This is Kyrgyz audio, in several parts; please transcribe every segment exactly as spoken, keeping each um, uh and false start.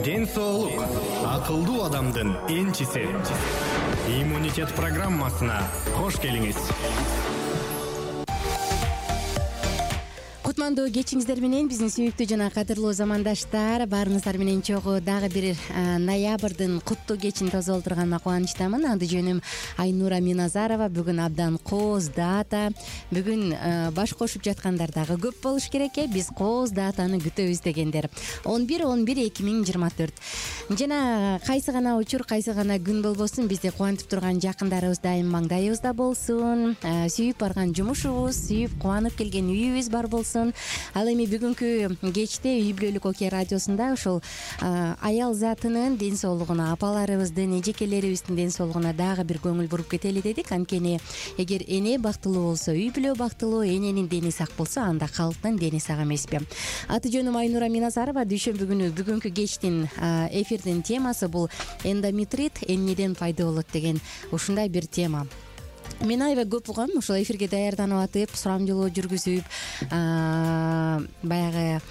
Ден соолук акылдуу адамдын энчиси. Иммунитет программасына кош келиңиз. Кутмандуу кечиңиздер менен биздин сүйүктүү жана кадырлуу замандаштар, баарыңыздар менен чогуу дагы бир ноябрдын куттуу кечин тосуп олтурганына кубанычтамын. Аты жөнүм Айнура Миназарова. Бүгүн абдан кооз дата. Бүгүн баш кошуп жаткандар дагы көп болуш керек э. Биз кооз датаны күтөбүз дегендер. он бир он бир эки миң жыйырма төрт. Жана кайсы гана учур, кайсы гана күн болбосун, бизди кубантып турган жакындарыбыз дайым маңдайыбызда болсун. Сүйүп барган жумушубуз, сүйүп кубанып келген үйүбүз бар болсун. Ал эми бүгүнкү кечте үй бүлөлүк окуя радиосунда ушул аял затынын ден соолугуна, апаларыбыздын, эжекелерибиздин ден соолугуна дагы бир көңүл буруп кетели дедик. Анткени эгер эне бактылуу болсо, үй бүлө бактылуу, эненин дени сак болсо, анда калктын дени сак эмеспи? Аты жөнүм Айнура Миназарова. Дүйшөмбү күнү бүгүнкү кечтин эфирдин темасы бул эндометрит эмнеден пайда болот деген ушундай бир тема. Мен аябай көп угам ушул эфирге даярданып атып, сурамжылоо жүргүзүп, баягы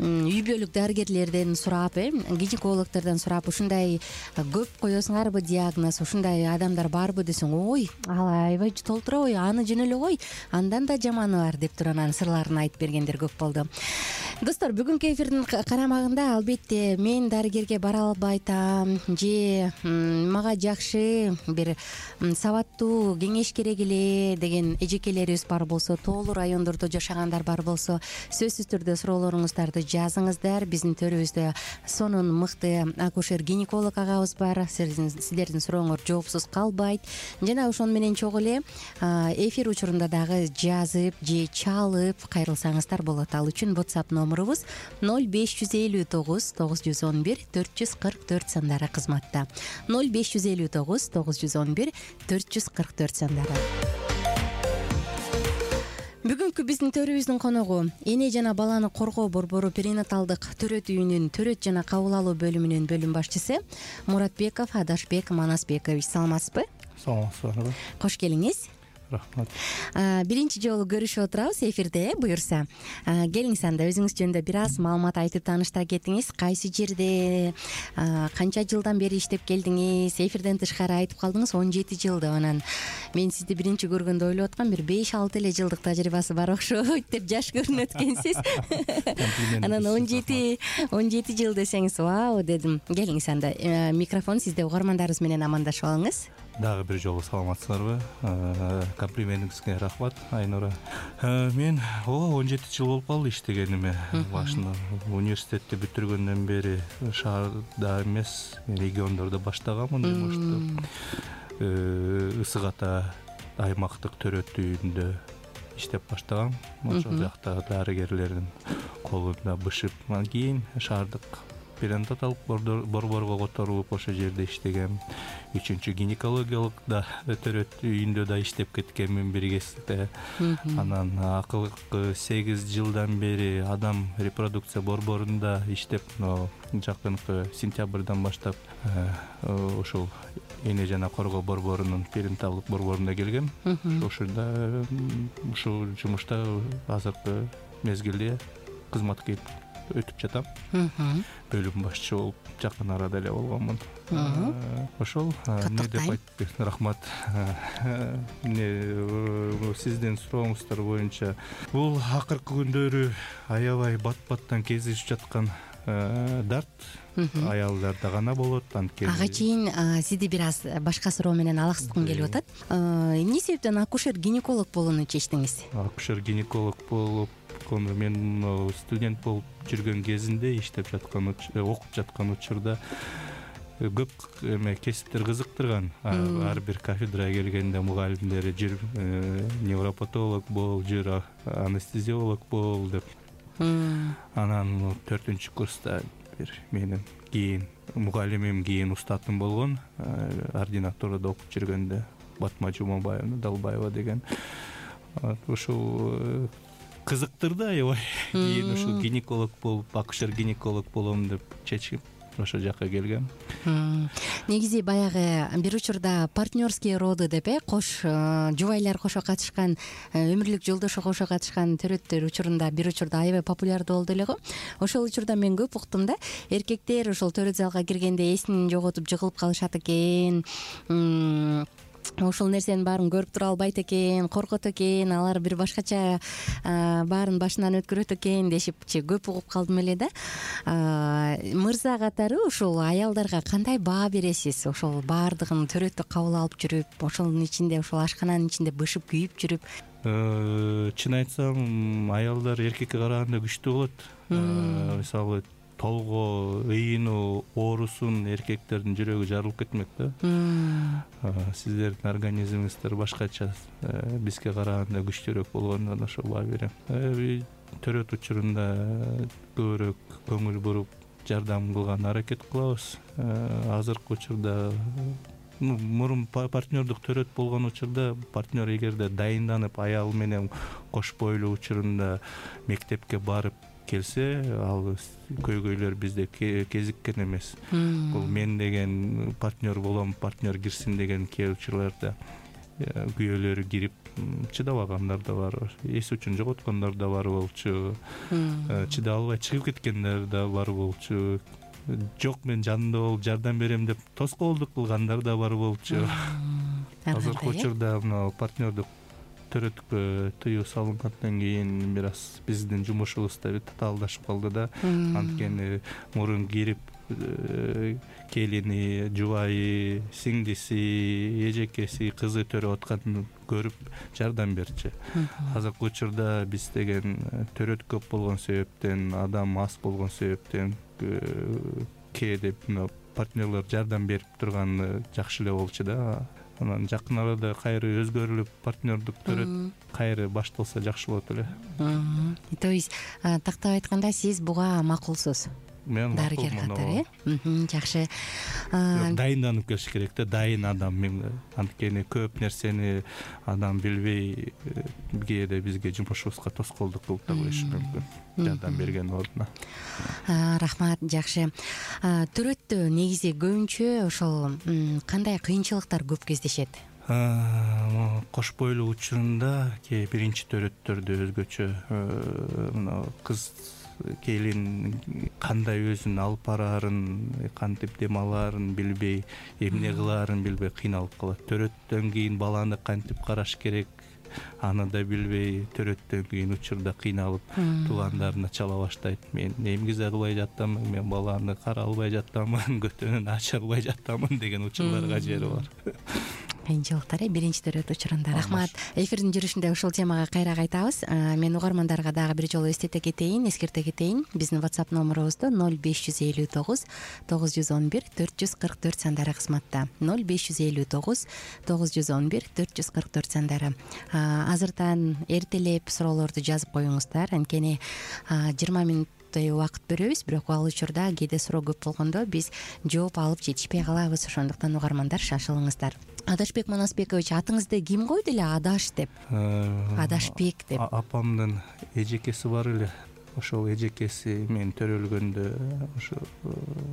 үй бүлөлүк дарыгерлерден сурап, э, гинекологдордон сурап, ушундай көп коесуңарбы диагноз, ушундай адамдар барбы десең, ой, ал аябай толтура, ой, аны жөн эле кой, андан да жаманы бар деп туруп анын сырларын айтып бергендер көп болду. Достор, бүгүнкү эфирдин карамагында албетте мен дарыгерге бара албай атам, же мага жакшы бир сабаттуу кеңеш керек эле деген эжекелерибиз бар болсо, тоолуу райондордо жашагандар бар болсо, сөзсүз түрдө суроолоруңуздарды жазыңыздар. Биздин төрүбүздө сонун мыкты акушер-гинеколог агабыз бар. Сиздердин сурооңор жоопсуз калбайт. Жана ошону менен чогуу эле эфир учурунда дагы жазып же чалып кайрылсаңыздар болот. Ал үчүн WhatsApp номурубуз ноль беш жүз элүү тогуз тогуз жүз он бир төрт жүз кырк төрт сандары кызматта. ноль беш жүз элүү тогуз тогуз жүз он бир төрт жүз кырк төрт сандары. Бүгүнкү биздин төрүбүздүн коногу эне жана баланы коргоо борбору перинаталдык төрөт үйүнүн төрөт жана кабыл алуу бөлүмүнүн бөлүм башчысы Муратбеков Адашбек Манасбекович. Саламатсызбы? Саламатсызбы. Кош келиңиз. Рахмат. Биринчи жолу көрүшүп отурабыз эфирде, буюрса. Келиңиз, анда өзүңүз жөнүндө бир аз маалымат айтып тааныштыра кетиңиз. Кайсы жерде, канча жылдан бери иштеп келдиңиз? Эфирден тышкары айтып калдыңыз он жети жыл деп. Анан мен сизди биринчи көргөндө ойлоп аткам, бир беш алты эле жылдык тажрыйбасы бар окшойт деп жаш көрүнөт экенсиз. Анан он жети он жети жыл десеңиз, вау дедим. Келиңиз, анда микрофон сизде, угармандарыбыз менен амандашып алыңыз. Дагы бир жолу саламатсыздарбы? Комплиментиңизге рахмат, Айнура. Мен он жети жыл болуп калды иштегениме. Башында университетти бүтүргөндөн бери шаарда эмес, региондордо баштаганмын. Ысык Ата аймактык төрөт үйүндө иштеп баштагам. Ошол жакта дарыгерлердин колунда бышып, анан кийин шаардык перинаталдык борборго которулуп ошол жерде иштегем. Үчүнчү гинекологиялык да төрөт үйүндө да иштеп кеткенмин бир кезде. Анан акыркы сегиз жылдан бери адам репродукция борборунда иштеп, жакынкы сентябрдан баштап ошол эне жана коргоо борборунун перинаталдык борборуна келгем. Ошондо ушул жумушта азыркы мезгилде кызматка өтүп жатам. Бөлүм башчы болуп жакын арада эле болгонмун. Ошол эмне деп айтты? Рахмат. Эмне сиздин сурооңуздар боюнча бул акыркы күндөрү аябай бат-баттан кезишип жаткан дарт аялдарда гана болот. Анткени ага чейин сизди бир аз башка суроо менен алаксыткым келип атат. Эмне себептен акушер-гинеколог болууну чечтиңиз? Акушер-гинеколог болуп мен студент болуп жүргөн кезинде иштеп жаткан, окуп жаткан учурда көп эме кесиптер кызыктырган. Ар бир кафедрага келгенде мугалимдери жүр невропатолог бол, жүр анестезиолог бол деп. Анан төртүнчү курста бир менин кийин мугалимим, кийин устатым болгон, ординатурада окуп жүргөндө Батма Жумабаевна Далбаева деген. Ошол кызыктырды аябай. Кийин ушул гинеколог болуп, акушер-гинеколог болом деп чечип ошол жакка келгем. Негизи баягы бир учурда партнерские роды деп э кош жубайлар кошо катышкан, өмүрлүк жолдошу кошо катышкан төрөттөр учурунда бир учурда аябай популярдуу болду эле го. Ошол учурда мен көп уктум да, эркектер ошол төрөт залга киргенде эсин жоготуп жыгылып калышат экен, ошол нерсенин баарын көрүп тура албайт экен, коркот экен, алар бир башкача баарын башынан өткөрөт экен дешипчи көп угуп калдым эле да. Мырза катары ушул аялдарга кандай баа бересиз? Ошол баардыгын төрөттү кабыл алып жүрүп, ошонун ичинде, ошол ашкананын ичинде бышып күйүп жүрүп. Чын айтсам, аялдар эркекке караганда күчтүү болот. Мисалы толго, ыйынуу, оорусун эркектердин жүрөгү жарылып кетмек да. Сиздердин организмиңиздер башкача, бизге караганда күчтүүрөөк болгондон ошо баа берем. Төрөт учурунда көбүрөөк көңүл буруп, жардам кылган аракет кылабыз. Азыркы учурда мурун партнердук төрөт болгон учурда партнер эгерде дайынданып аял менен кош бойлуу учурунда мектепке барып келсе, ал көйгөйлөр бизде кезиккен эмес. Бул мен деген партнер болом, партнер кирсин деген кээ учурларда күйөөлөрү кирип чыдабагандар да бар, эс үчүн жоготкондор да бар болчу, чыдап албай чыгып кеткендер да бар болчу, жок мен жанында болуп жардам берем деп тоскоолдук кылгандар да бар болчу. Азыркы учурда мына партнердук төрөткө тыюу салынгандан кийин бир аз биздин жумушубуз да татаалдашып калды да. Анткени мурун кирип келини, жубайы, сиңдиси, эжекеси, кызы төрөп атканын көрүп жардам берчү. Азыркы учурда биз деген төрөт көп болгон себептен, адам аз болгон себептен кээде партнерлер жардам берип турганы жакшы эле болчу да. Анан жакын арада кайры өзгөрүлүп партнердук төрөт кайры башталса жакшы болот эле. То есть тактап айтканда сиз буга макулсуз? Мен дарыгер катары, э? Жакшы. Дайынданып келиш керек да, дайын адам. Мен анткени көп нерсени адам билбей кээде бизге жумушубузга тоскоолдук кылып та коюшу мүмкүн. Жардам берген ордуна. Рахмат, жакшы. Төрөттө негизи көбүнчө ошол кандай кыйынчылыктар көп кездешет? Кош бойлуу учурунда кээ биринчи төрөттөрдө өзгөчө мына кыз келин кандай өзүн алып бараарын, кантип дем алаарын билбей, эмне кылаарын билбей кыйналып калат. Төрөттөн кийин баланы кантип караш керек, аны да билбей төрөттөн кийин учурда кыйналып туугандарына чала баштайт. Мен эмгизе кылбай жаттамын, мен баланы карай албай жаттамын, көтөнүн ача албай жаттамын деген учурларга жери бар. Кыйынчылыктар э биринчи төрөт учурунда. Рахмат. Эфирдин жүрүшүндө ушул темага кайра кайтабыз. Мен угармандарга дагы бир жолу эстете кетейин, эскерте кетейин. Биздин WhatsApp номерубузда ноль беш жүз элүү тогуз тогуз жүз он бир төрт жүз кырк төрт сандары кызматта. ноль беш жүз элүү тогуз тогуз жүз он бир төрт жүз кырк төрт сандары. Азыртан эртелеп суроолорду жазып коюңуздар. Анткени жыйырма мүнөт убакыт беребиз, бирок ал учурда кээде суроо көп болгондо биз жооп алып жетишпей калабыз. Ошондуктан угармандар шашылыңыздар. Адашбек Манасбекович, атыңызды ким койду эле Адаш деп? Адашбек деп. Апамдын эжекеси бар эле. Ошол эжекеси мен төрөлгөндө ошо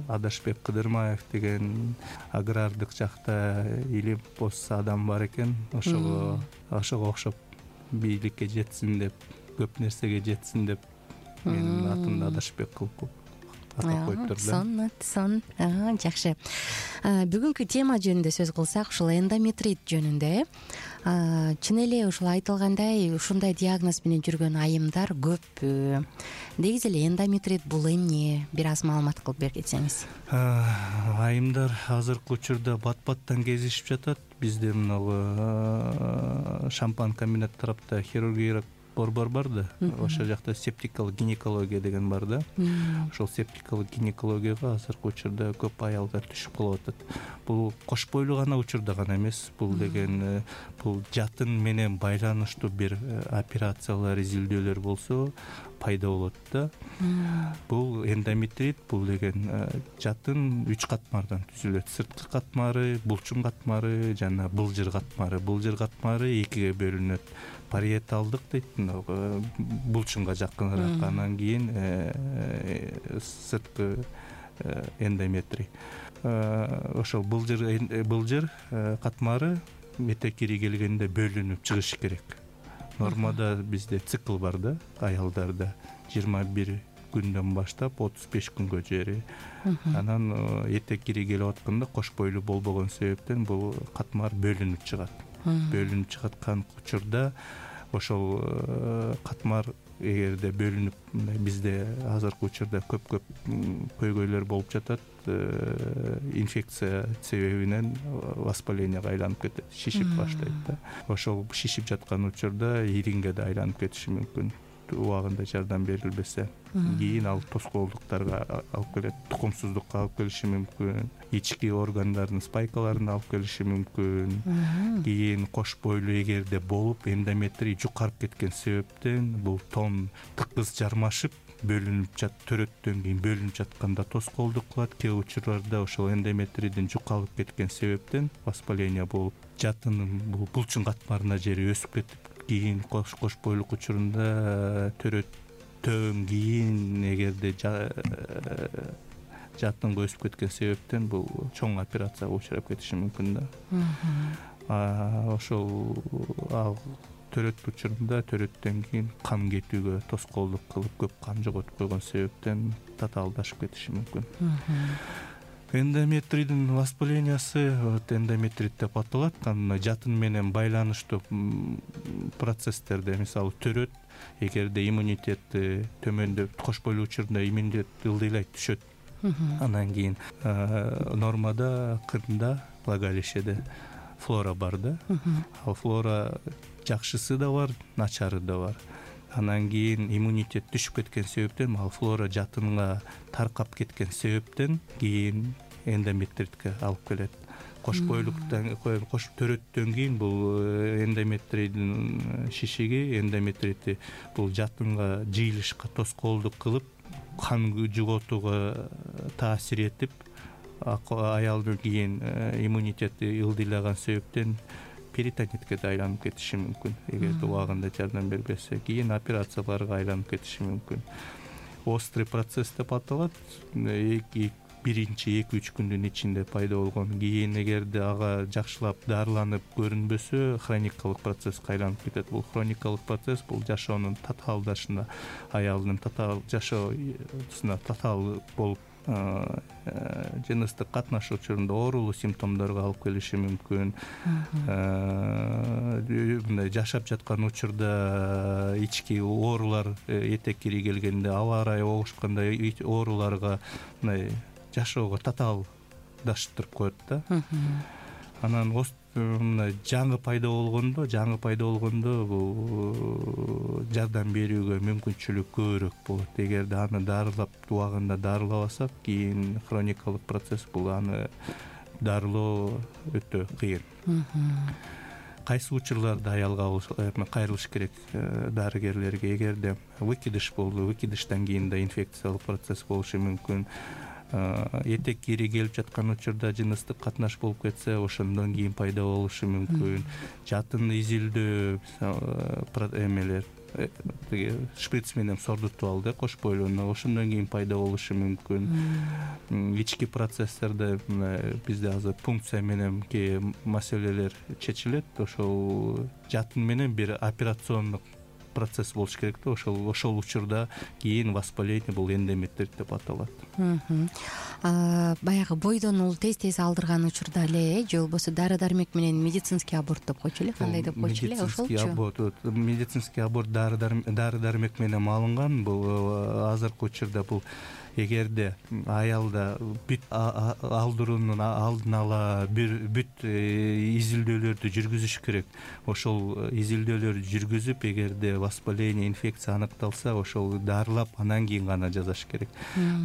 Адашбек Кыдырмаев деген агрардык жакта илим пост адам бар экен. Ошого ошого окшоп бийликке жетсин деп, көп нерсеге жетсин деп менин атымды Адашбек кылып атап коюптур да. Сон, сон. Жакшы. Бүгүнкү тема жөнүндө сөз кылсак, ушул эндометрит жөнүндө, чын эле ушул айтылгандай, ушундай диагноз менен жүргөн айымдар көп. Негизи эле эндометрит бул эмне? Бир аз маалымат кылып берип кетсеңиз. Айымдар азыркы учурда бат-баттан кезишип жатат. Бизде мына Шампан комбинат тарапта хирургиялык борбор бар да, ошол жакта септикалык гинекология деген бар да. Ошол септикалык гинекологияга азыркы учурда көп аялдар түшүп калып атат. Бул кош бойлуу гана учурда гана эмес, бул деген бул жатын менен байланыштуу бир операциялар, изилдөөлөр болсо пайда болот да. Бул эндометрит, бул деген жатын үч катмардан түзүлөт. Сырткы катмары, булчуң катмары жана былжыр катмары. Былжыр катмары экиге бөлүнөт. Париеталдык дейт, булчуңга жакыныраак. Анан кийин сырткы эндометрий. Ошол былжыр былжыр катмары этек кири келгенде бөлүнүп чыгыш керек. Нормада бизде цикл бар да, аялдарда жыйырма бир күндөн баштап отуз беш күнгө чейин. Анан этек кири келип атканда кош бойлуу болбогон себептен бул катмар бөлүнүп чыгат. Бөлүнүп чыгаткан учурда ошол катмар эгерде бөлүнүп, бизде азыркы учурда көп-көп көйгөйлөр болуп жатат, инфекция себебинен воспалениеге айланып кетет, шишип баштайт да. Ошол шишип жаткан учурда иринге да айланып кетиши мүмкүн, убагында жардам берилбесе. Кийин ал тоскоолдуктарга алып келет, тукумсуздукка алып келиши мүмкүн, ички органдардын спайкаларына алып келиши мүмкүн. Кийин кош бойлуу эгерде болуп, эндометрий жукарып кеткен себептен бул тон тыкыз жармашып, бөлүнүп жат, төрөттөн кийин бөлүнүп жатканда тоскоолдук кылат. Кээ учурларда ошол эндометрийдин жукалып кеткен себептен воспаление болуп, жатынын бул булчуң катмарына жери өсүп кетип, кийин кош кош бойлук учурунда төрөттөн кийин эгерде жатынга өсүп кеткен себептен бул чоң операцияга учурап кетиши мүмкүн да. Ошол төрөт учурунда төрөттөн кийин кан кетүүгө тоскоолдук кылып, көп кан жоготуп койгон себептен татаалдашып кетиши мүмкүн. Эндометрийдин воспалениясы эндометрит деп аталат. Жатын менен байланыштуу процесстерде, мисалы төрөт, эгерде иммунитети төмөндөп, кош бойлуу учурунда иммунитет ылдыйлайт, түшөт. Анан кийин нормада кырында, влагалищеде флора бар да. Ал флора жакшысы да бар, начары да бар. Анан кийин иммунитет түшүп кеткен себептен, ал флора жатынга таркап кеткен себептен кийин эндометритке алып келет. Кош бойлуктан, кош төрөттөн кийин бул эндометрийдин шишиги, эндометрити бул жатынга жыйылышка тоскоолдук кылып, кан жоготууга таасир этип, аялдын кийин иммунитети ылдыйлаган себептен перитонитке да айланып кетиши мүмкүн, эгерде убагында жардам бербесе. Кийин операцияларга айланып кетиши мүмкүн. Острый процесс деп аталат. Биринчи эки-үч күндүн ичинде пайда болгон. Кийин эгерде ага жакшылап дарыланып көрүнбөсө, хроникалык процесске айланып кетет. Бул хроникалык процесс бул жашоонун татаалдашына, аялдын татаал жашоосуна татаал болуп, жыныстык катнашуу учурунда оорулуу симптомдорго алып келиши мүмкүн. Мындай жашап жаткан учурда ички оорулар, этек кири келгенде, аба ырайы огушканда ооруларга, мындай жашоого татаалдаштырып коет да. Анан мына жаңы пайда болгондо, жаңы пайда болгондо бул жардам берүүгө мүмкүнчүлүк көбүрөөк болот. Эгерде аны дарылап, убагында дарылабасак, кийин хроникалык процесс бул, аны дарылоо өтө кыйын. Кайсы учурларда аялга кайрылыш керек дарыгерлерге? Эгерде выкидыш болду, выкидыштан кийин да инфекциялык процесс болушу мүмкүн. Этек кири келип жаткан учурда жыныстык катнаш болуп кетсе, ошондон кийин пайда болушу мүмкүн. Жатын изилдөө эмелер, шприц менен сордутуп алды кош бойлууну, ошондон кийин пайда болушу мүмкүн. Ички процесстерде бизде азыр пункция менен кээ маселелер чечилет. Ошол жатын менен бир операциондук процесс болуш керек да. Ошол ошол учурда кийин воспаление бул эндометрит деп аталат. Баягы бойдон ул тез-тез алдырган учурда эле, же болбосо дары-дармек менен медицинский аборт деп койчу эле, кандай деп койчу эле, ошолчу? Медицинский аборт дары-дармек менен алынган. Бул азыркы учурда бул эгерде аялда бүт алдыруунун алдын ала бүт изилдөөлөрдү жүргүзүш керек. Ошол изилдөөлөрдү жүргүзүп, эгерде воспаление, инфекция аныкталса, ошол дарылап, анан кийин гана жасаш керек.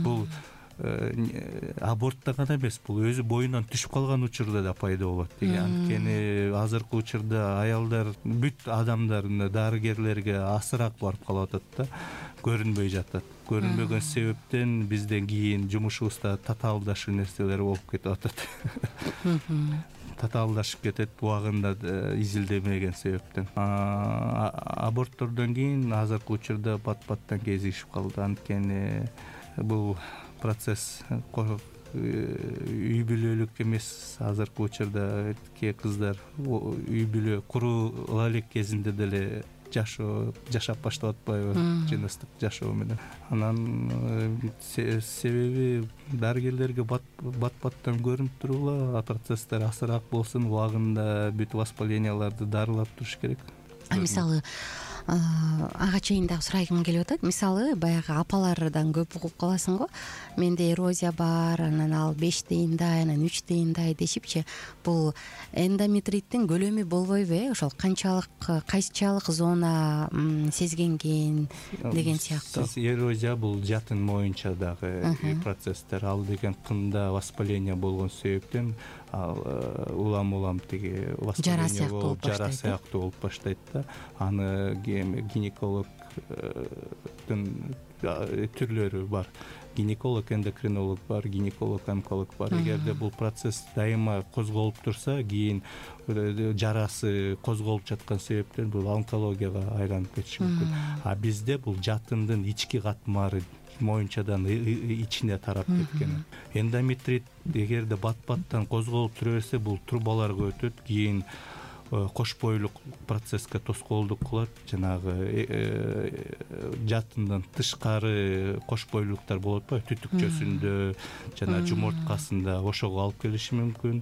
Бул абортта гана эмес, бул өзү боюнан түшүп калган учурда да пайда болот. Анткени азыркы учурда аялдар, бүт адамдар дарыгерлерге асыраак барып калып атат да, көрүнбөй жатат. Көрүнбөгөн себептен бизден кийин жумушубузда татаалдашуу нерселер болуп кетип атат. Татаалдашып кетет, убагында изилдемеген себептен. Аборттордон кийин азыркы учурда бат-баттан кезигишип калды. Анткени бул процесс үй бүлөлүк эмес. Азыркы учурда кээ кыздар үй бүлө куруу элек кезинде деле жашоо жашап баштап атпайбы, жыныстык жашоо менен. Анан себеби дарыгерлерге бат баттан көрүнүп тургула, процесстер асыраак болсун, убагында бүт воспаленияларды дарылап туруш керек. Мисалы ага чейин дагы сурайгым келип атат. Мисалы баягы апалардан көп угуп каласың го. Менде эрозия бар, анан ал беш тыйындай, анан үч тыйындай дешипчи. Бул эндометриттин көлөмү болбойбу э? Ошол канчалык, кайсычалык зона сезгенген деген сыяктуу. Эрозия бул жатын моюнча дагы процесстер. Ал деген кында воспаление болгон себептен ал улам-улам тиги воспаление болуп, жара сыяктуу болуп баштайт да. Аны гинекологдун түрлөрү бар. Гинеколог, эндокринолог бар, гинеколог, онколог бар. Эгерде бул процесс дайыма козголуп турса, кийин жарасы козголуп жаткан себептен бул онкологияга айланып кетиши мүмкүн. А бизде бул жатындын ички катмары моюнчадан ичине тарап кеткен. Эндометрит эгерде бат-баттан козголуп тура берсе, бул трубаларга өтөт, кийин кош бойлук процесске тоскоолдук кылат. Жанагы жатындан тышкары кош бойлуктар болот ба, түтүкчөсүндө жана жумурткасында, ошого алып келиши мүмкүн.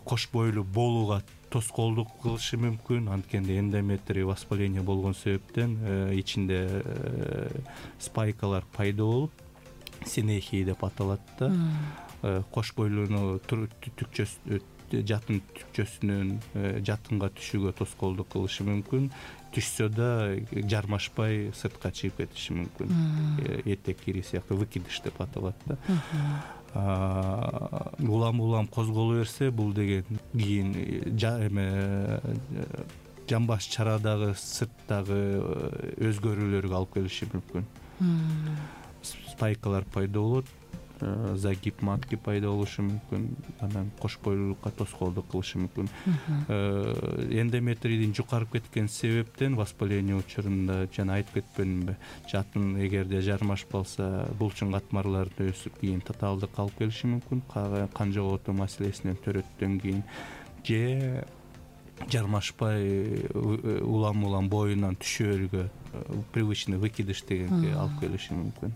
Кош бойлуу болууга тоскоолдук кылышы мүмкүн. Анткенде эндометрий воспаление болгон себептен ичинде спайкалар пайда болуп, синехия деп аталат да. Кош бойлууну түтүкчөсү жатын түкчөсүнөн жатынга түшүүгө тоскоолдук кылышы мүмкүн. Түшсө да жармашпай сыртка чыгып кетиши мүмкүн. Этек кири сыяктуу выкидыш деп аталат да. Улам-улам козголо берсе, бул деген кийин эме жамбаш чарадагы, сырттагы өзгөрүүлөргө алып келиши мүмкүн. Спайкалар пайда болот, загиб матки пайда болушу мүмкүн, анан кош бойлуулукка тоскоолдук кылышы мүмкүн. Эндометрийдин жукарып кеткен себептен воспаление учурунда жана айтып кетпедимби, жатын эгерде жармашпалса, булчуң катмарларды өсүп, кийин татаалдык алып келиши мүмкүн, кан жоготуу маселесинен төрөттөн кийин, же жармашпай улам-улам боюнан түшөөргө, привычный выкидыш дегенге алып келиши мүмкүн.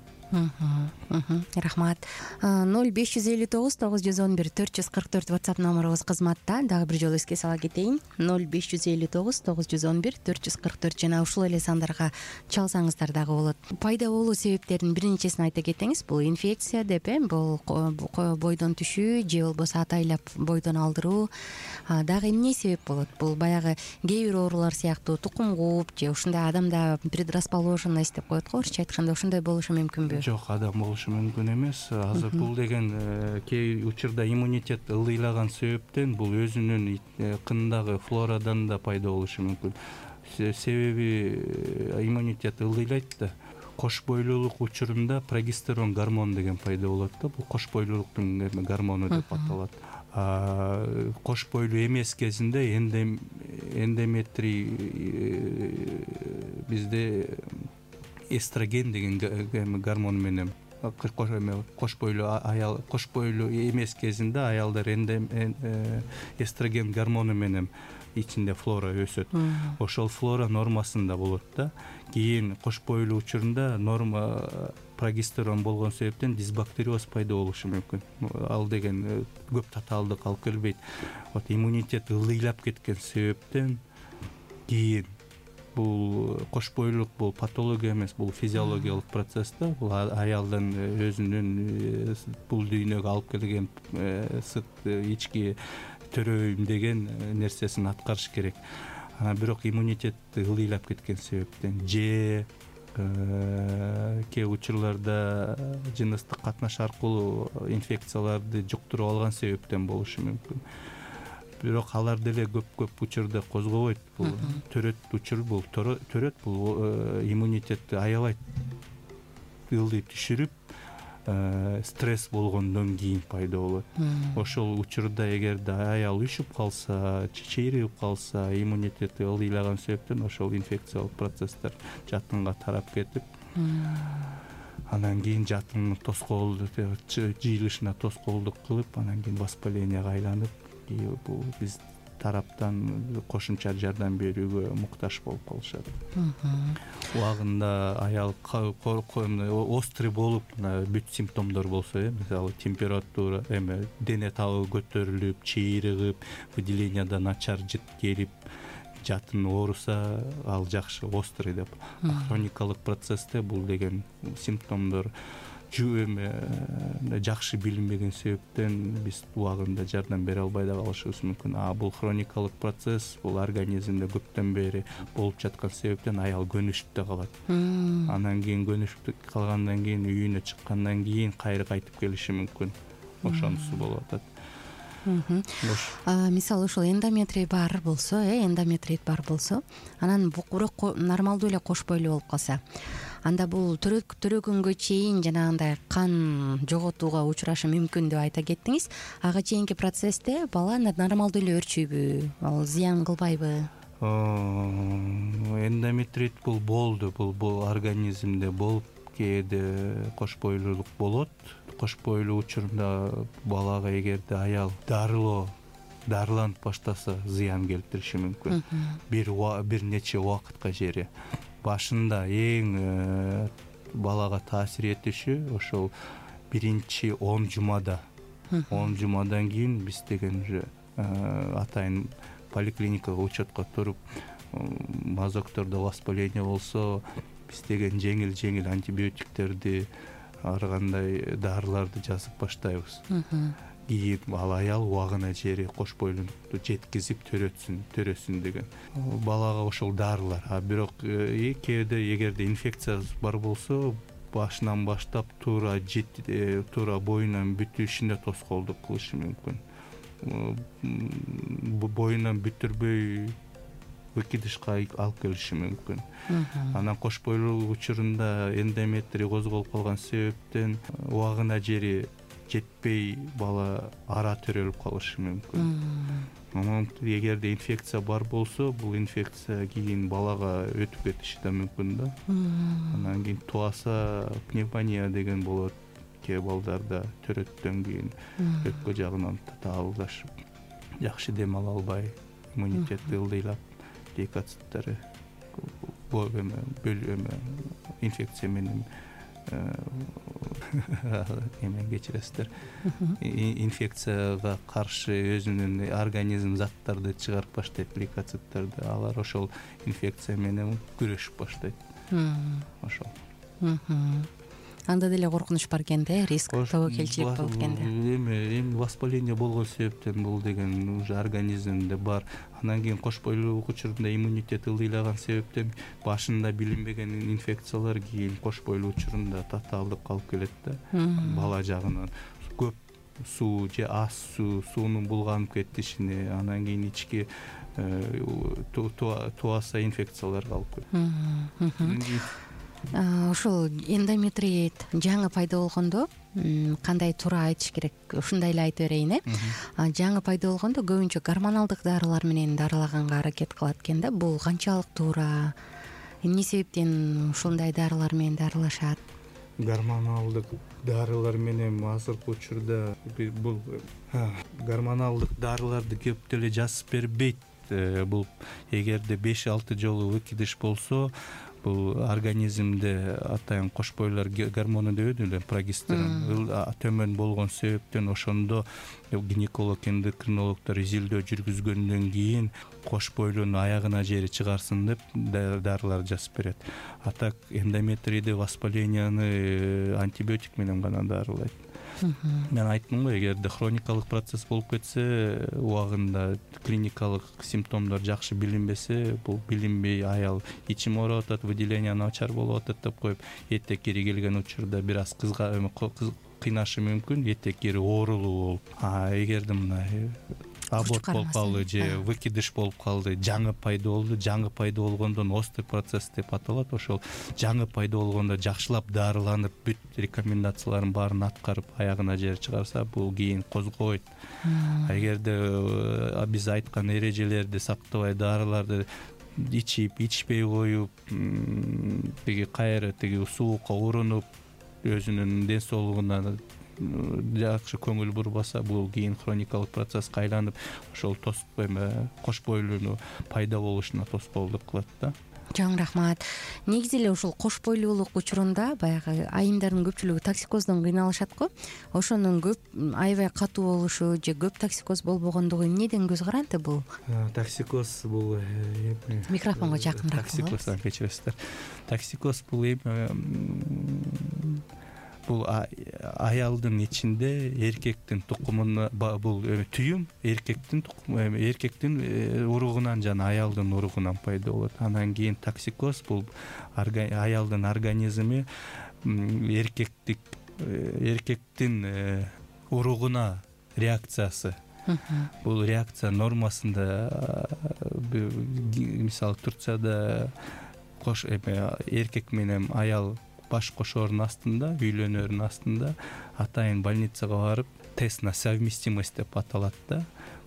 Рахмат. ноль беш жүз элүү тогуз тогуз жүз он бир төрт жүз кырк төрт WhatsApp номерубуз кызматта. Дагы бир жолу эске сала кетейин. ноль беш жүз элүү тогуз тогуз жүз он бир төрт жүз кырк төрт жана ушул эле сандарга чалсаңыздар дагы болот. Пайда болуу себептеринин биринчисин айта кетеңиз. Бул инфекция деп э, бул бойдон түшүү же болбосо атайлап бойдон алдыруу. Дагы эмне себеп болот? Бул баягы кээ бир оорулар сыяктуу тукум кууп же ушундай адамда предрасположенность деп коет го, орусча айтканда, ушундай болушу мүмкүнбү? Жок, адам болушу мүмкүн эмес. Азыр бул деген кээ учурда иммунитет ылдыйлаган себептен бул өзүнүн кындагы флорадан да пайда болушу мүмкүн. Себеби иммунитет ылдыйлайт да. Кош бойлуулук учурунда прогестерон гормон деген пайда болот да. Бул кош бойлуулуктун гормону деп аталат. Кош бойлуу эмес кезинде эндометрий бизде эстроген деген гормон менен кош бойлуу аял кош бойлуу эмес кезинде аялдар эстроген гормону менен ичинде флора өсөт. Ошол флора нормасында болот да. Кийин кош бойлуу учурунда норма прогестерон болгон себептен дисбактериоз пайда болушу мүмкүн. Ал деген көп татаалдык алып келбейт. Вот иммунитет ылдыйлап кеткен себептен кийин бул кош бойлуулук бул патология эмес, бул физиологиялык процесс да. Бул аялдын өзүнүн бул дүйнөгө алып келген сырт ички төрөйүм деген нерсесин аткарыш керек. Бирок иммунитет ылдыйлап кеткен себептен же кээ учурларда жыныстык катнаш аркылуу инфекцияларды жуктуруп алган себептен болушу мүмкүн. Бирок алар деле көп-көп учурда козгобойт. Бул төрөт учур, бул төрөт бул иммунитетти аябай ылдый түшүрүп, стресс болгондон кийин пайда болот. Ошол учурда эгерде аял үшүп калса, чечейрип калса, иммунитети ылдыйлаган себептен ошол инфекциялык процесстер жатынга тарап кетип, анан кийин жатын тоскоолду жыйылышына тоскоолдук кылып анан кийин воспаленияга айланып бул биз тараптан кошумча жардам берүүгө муктаж болуп калышат. Убагында аял острый болуп бүт симптомдор болсо, э мисалы температура, эме дене табы көтөрүлүп, чыйрыгып, выделенияда начар жыт келип, жатын ооруса, ал жакшы острый деп. Хроникалык процессте бул деген симптомдор жакшы билинбеген себептен биз убагында жардам бере албай да калышыбыз мүмкүн. А бул хроникалык процесс, бул организмде көптөн бери болуп жаткан себептен аял көнүшүп да калат. Анан кийин көнүшүп калгандан кийин үйүнө чыккандан кийин кайра кайтып келиши мүмкүн. Ошонусу болуп атат. Мисалы ушул эндометрий бар болсо, э эндометрит бар болсо, анан бирок нормалдуу эле кош бойлуу болуп калса, анда бул төрөгөнгө чейин жанагындай кан жоготууга учурашы мүмкүн деп айта кеттиңиз. Ага чейинки процессте бала нормалдуу эле өрчүйбү, ал зыян кылбайбы? Эндометрит бул болду, бул бул организмде болуп, кээде кош бойлуулук болот. Кош бойлуу учурунда балага эгерде аял дарылоо дарыланып баштаса, зыян келтириши мүмкүн. Бир бир нече убакытка жери. Башында эң балага таасир этиши ошол биринчи он жумада. он жумадан кийин биз деген уже атайын поликлиникага учетко туруп, мазоктордо воспаление болсо, биз деген жеңил-жеңил антибиотиктерди, ар кандай дарыларды жазып баштайбыз. Кийин ал аял убагына жери кош бойлуулукту жеткизип төрөтсүн, төрөсүн деген. Балага ошол дарылар. А бирок кээде эгерде инфекция бар болсо, башынан баштап туура туура боюнан бүтүшүнө тоскоолдук кылышы мүмкүн. Боюнан бүтүрбөй выкидышка алып келиши мүмкүн. Анан кош бойлуу учурунда эндометрий козголуп калган себептен убагына жери жетпей бала ара төрөлүп калышы мүмкүн. Анан эгерде инфекция бар болсо, бул инфекция кийин балага өтүп кетиши да мүмкүн да. Анан кийин туаса пневмония деген болот. Кээ балдарда төрөттөн кийин өкпө жагынан таалдашып, жакшы дем ала албай, иммунитети ылдыйлап, лейкоциттери инфекция менен эмен кечиресиздер. Инфекцияга каршы өзүнүн организм заттарды чыгарып баштайт, лейкоциттерди. Алар ошол инфекция менен күрөшүп баштайт. Ошол. Анда деле коркунуч бар экен да, риск, тобокелчилик болуп экен да. Эми эми воспаление болгон себептен бул деген уже организмде бар. Анан кийин кош бойлуулук учурунда иммунитет ылдыйлаган себептен башында билинбеген инфекциялар кийин кош бойлуу учурунда татаалдыкка алып келет да. Бала жагынан көп суу же аз суу, суунун булганып кетишине, анан кийин ички туаса инфекцияларга алып келет. Ошол эндометрит жаңы пайда болгондо кандай туура айтыш керек? Ушундай эле айтып берейин, э. Жаңы пайда болгондо көбүнчө гормоналдык дарылар менен дарылаганга аракет кылат экен да. Бул канчалык туура? Эмне себептен ушундай дарылар менен дарылашат? Гормоналдык дарылар менен азыркы учурда бул гормоналдык дарыларды көп деле жазып бербейт. Бул эгерде беш алты жолу выкидыш болсо, бул организмде атайын кош бойлуулар гормону деп эле прогестерон төмөн болгон себептен ошондо гинеколог, эндокринологдор изилдөө жүргүзгөндөн кийин кош бойлууну аягына жери чыгарсын деп дарылар жазып берет. А так эндометрийди, воспаленияны антибиотик менен гана дарылайт. Мен айттым го, эгерде хроникалык процесс болуп кетсе, убагында клиникалык симптомдор жакшы билинбесе, бул билинбей аял ичим ооруп атат, выделение начар болуп атат деп коюп, этек кири келген учурда бир аз кызга кыйнашы мүмкүн, этек кири оорулуу болуп. А эгерде мына аборт болуп калды же выкидыш болуп калды, жаңы пайда болду, жаңы пайда болгондон острый процесс деп аталат. Ошол жаңы пайда болгондо жакшылап дарыланып, бүт рекомендацияларын баарын аткарып, аягына жери чыгарса, бул кийин козгобойт. Эгерде биз айткан эрежелерди сактабай, дарыларды ичип, ичпей коюп, тиги кайра тиги суукка урунуп, өзүнүн ден соолугуна жакшы көңүл бурбаса, бул кийин хроникалык процесске айланып ошол эме кош бойлууну пайда болушуна тоскоолдук кылат да. Чоң рахмат. Негизи эле ушул кош бойлуулук учурунда баягы айымдардын көпчүлүгү токсикоздон кыйналышат го. Ошонун көп аябай катуу болушу же көп токсикоз болбогондугу эмнеден көз каранды бул? Токсикоз бул микрофонго жакыныраак. Токсикоздон кечиресиздер. Токсикоз бул бул аялдын ичинде эркектин тукумуна, бул түйүм эркектин эркектин уругунан жана аялдын уругунан пайда болот. Анан кийин токсикоз бул аялдын организми эркектик эркектин уругуна реакциясы. Бул реакция нормасында, мисалы Турцияда кош эркек менен аял баш кошоордун астында, үйлөнөрдүн астында атайын больницага барып тест на совместимость деп аталат да.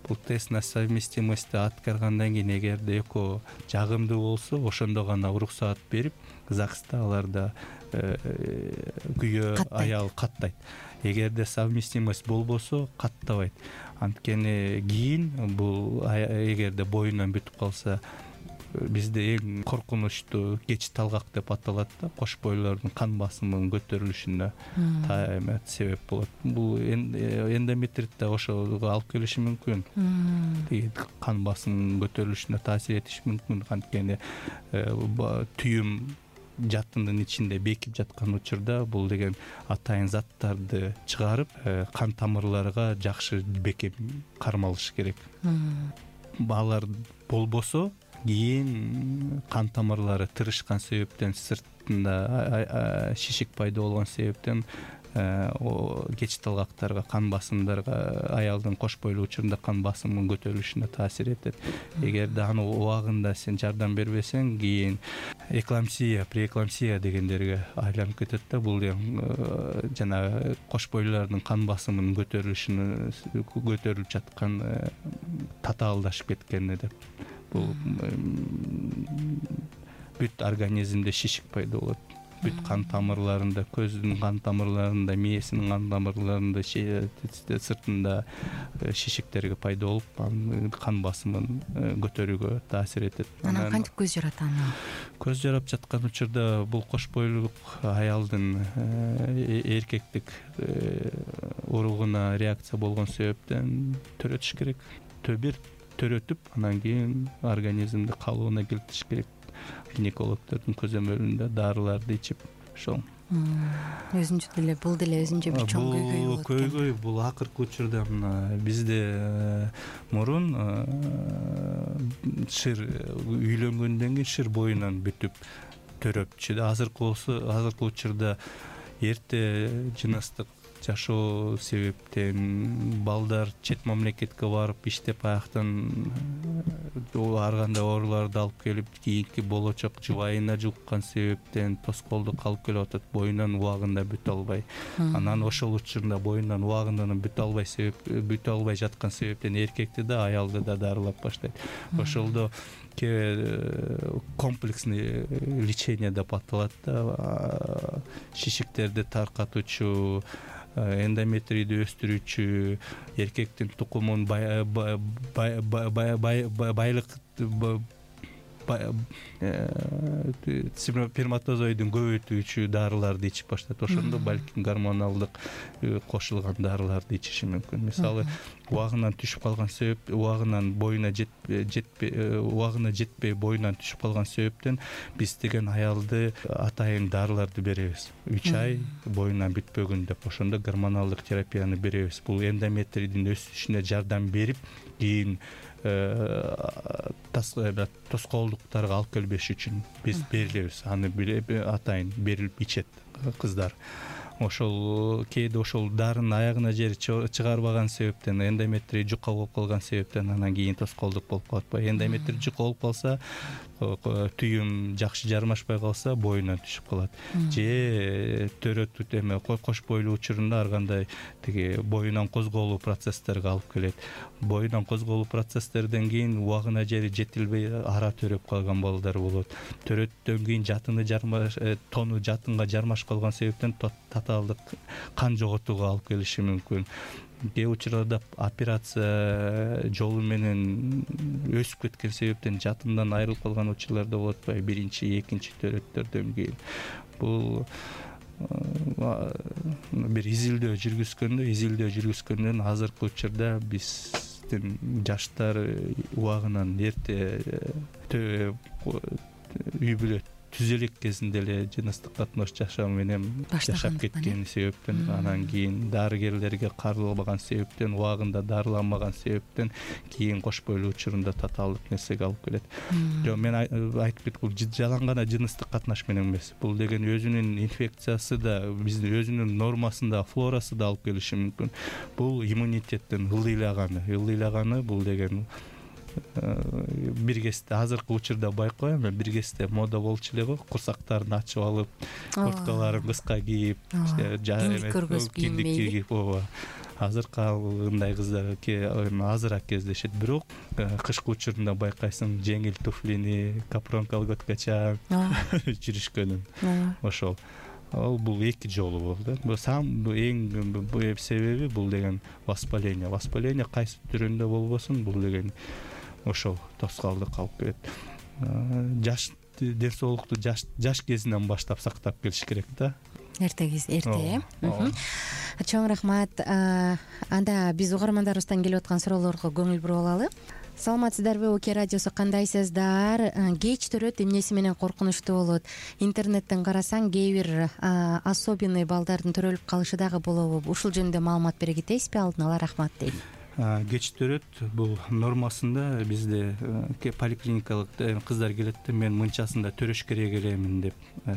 Бул тест на совместимость аткаргандан кийин эгерде экөө жагымдуу болсо, ошондо гана уруксаат берип, ЗАГСта аларда күйөө аял каттайт. Эгерде совместимость болбосо, каттабайт. Анткени кийин бул эгерде боюнан бүтүп калса, бизде эң коркунучтуу кеч талгак деп аталат да, кош бойлордун кан басымынын көтөрүлүшүнө себеп болот. Бул эндометрит да ошого алып келиши мүмкүн. Кан басымынын көтөрүлүшүнө таасир этиши мүмкүн. Анткени түйүм жаттындын ичинде бекип жаткан учурда бул деген атайын заттарды чыгарып, кан тамырларга жакшы бекем кармалыш керек. Алар болбосо, кийин кан тамырлары тырышкан себептен, сыртында шишик пайда болгон себептен кеч талгактарга, кан басымдарга, аялдын кош бойлуу учурунда кан басымынын көтөрүлүшүнө таасир этет. Эгерде аны убагында сен жардам бербесең, кийин эклампсия, преэклампсия дегендерге айланып кетет да. Бул жана кош бойлуулардын кан басымынын көтөрүлүшүнө көтөрүлүп жаткан татаалдашып кеткени деп. Бул бүт организмде шишик пайда болот. Бүт кан тамырларында, көздүн кан тамырларында, мээсинин кан тамырларында, сыртында шишиктерге пайда болуп, кан басымын көтөрүүгө таасир этет. Анан кантип көз жарат аны? Көз жарап жаткан учурда бул кош бойлуулук аялдын эркектик уругуна реакция болгон себептен төрөтүш керек. Төбир төрөтүп, анан кийин организмди калыбына келтириш керек. Гинекологдордун көзөмөлүндө дарыларды ичип, ошол. Өзүнчө деле бул деле өзүнчө бир чоң көйгөй болот. Көйгөй бул акыркы учурда мына бизде мурун шыр үйлөнгөндөн кийин шыр боюнан бүтүп төрөпчү да. Азыркы болсо, азыркы учурда эрте жыныстык жашоо себептен балдар чет мамлекетке барып иштеп, аяктан ар кандай ооруларды алып келип, кийинки болочок жубайына жуккан себептен тоскоолдук алып келип атат, боюнан убагында бүтө албай. Анан ошол учурунда боюнан убагында бүтө албай себеп бүтө албай жаткан себептен эркекти да, аялды да дарылап баштайт. Ошолдо комплексный лечение деп аталат да. Шишиктерди таркатуучу, эндометрийди өстүрүүчү, эркектин тукумун байлык сперматозоидин көбөйтүүчү дарыларды ичип баштайт. Ошондо балким гормоналдык кошулган дарыларды ичиши мүмкүн. Мисалы, убагынан түшүп калган себеп, убагынан боюна жетпей, убагына жетпей боюнан түшүп калган себептен биз деген аялды атайын дарыларды беребиз. үч ай боюнан бүтпөгүн деп, ошондо гормоналдык терапияны беребиз. Бул эндометрийдин өсүшүнө жардам берип, кийин тоскоолдуктарга алып келбеш үчүн биз беребиз. Аны атайын берилип ичет кыздар. Ошол кээде ошол дарынын аягына жери чыгарбаган себептен, эндометрий жука болуп калган себептен анан кийин тоскоолдук болуп калат. Эндометрий жука болуп калса, түйүм жакшы жармашпай калса, боюнан түшүп калат. Же төрөтүп эме кош бойлуу учурунда ар кандай тиги боюнан козголуу процесстерге алып келет. Боюнан козголуу процесстерден кийин убагына жери жетилбей ара төрөп калган балдар болот. Төрөттөн кийин жатыны жармаш, тону жатынга жармашып калган себептен татаалдык кан жоготууга алып келиши мүмкүн. Кээ учурларда операция жолу менен өсүп кеткен себептен жатындан айрылып калган учурлар да болот атпайбы, биринчи экинчи төрөттөрдөн кийин. Бул бир изилдөө жүргүзгөндө изилдөө жүргүзгөндөн азыркы учурда биздин жаштар убагынан эрте үй бүлө түзө элек кезинде эле жыныстык катнаш жашоо менен жашап кеткен себептен, анан кийин дарыгерлерге каралбаган себептен, убагында дарыланбаган себептен кийин кош бойлуу учурунда татаалдык нерсеге алып келет. Жок, мен айтып кеттим, бул жалаң гана жыныстык катнаш менен эмес. Бул деген өзүнүн инфекциясы да, биздин өзүнүн нормасында, флорасы да алып келиши мүмкүн. Бул иммунитеттин ылдыйлаганы, ылдыйлаганы бул деген бир кезде азыркы учурда байкайм, бир кезде мода болчу эле го, курсактарын ачып алып, курткаларын кыска кийип, киндик көргөзүп кийинбейби. Ооба. Азыркындай кыздар азыраак кездешет, бирок кышкы учурунда байкайсың, жеңил туфлини, капрон колготкача жүрүшкөнүн. Ошол. Ал бул эки жолу болду. Бул сам эң себеби бул деген воспаление. Воспаление кайсы түрүндө болбосун, бул деген ошол тоскоолдук алып келет. Жаш ден соолукту жаш жаш кезинен баштап сактап келиш керек да. Эрте кез, эрте. Чоң рахмат. Анда биз угармандарыбыздан келип аткан суроолорго көңүл буруп алалы. Саламатсыздарбы, Оке радиосу, кандайсыздар? Кеч төрөт, эмнеси менен коркунучтуу болот? Интернеттен карасаң, кээ бир особенный балдардын төрөлүп калышы дагы болобу? Ушул жөнүндө маалымат бере кетесизби? Алдын ала рахмат дейт. Кеч төрөт бул нормасында бизде поликлиникалык кыздар келет да, мен мынчасында төрөш керек элемин деп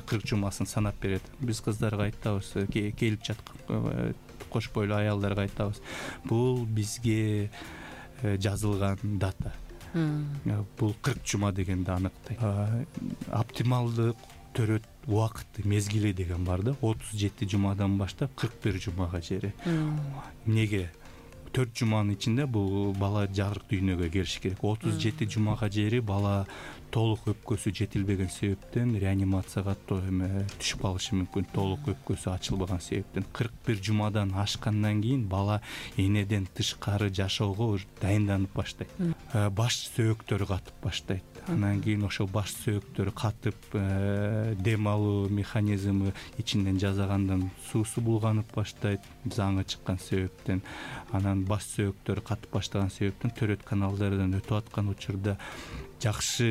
кырк жумасын санап берет. Биз кыздарга айтабыз, келип жаткан кош бойлуу аялдарга айтабыз, бул бизге жазылган дата. Бул кырк жума дегенди аныктайт. Оптималдык төрөт убакыты, мезгили деген бар да, отуз жети жумадан баштап кырк бир жумага чейин. Эмнеге? төрт жуманын ичинде бул бала жарык дүйнөгө келиш керек. отуз жети жумага чейин бала толук өпкөсү жетилбеген себептен реанимацияга түшүп калышы мүмкүн, толук өпкөсү ачылбаган себептен. кырк бир жумадан ашкандан кийин бала энеден тышкары жашоого дайынданып баштайт. Баш сөөктөрү катып баштайт. Анан кийин ошол баш сөөктөрү катып, дем алуу механизми ичинен жазагандан суусу булганып баштайт, заңы чыккан себептен. Анан баш сөөктөрү катып баштаган себептен төрөт каналдардан өтүп аткан учурда жакшы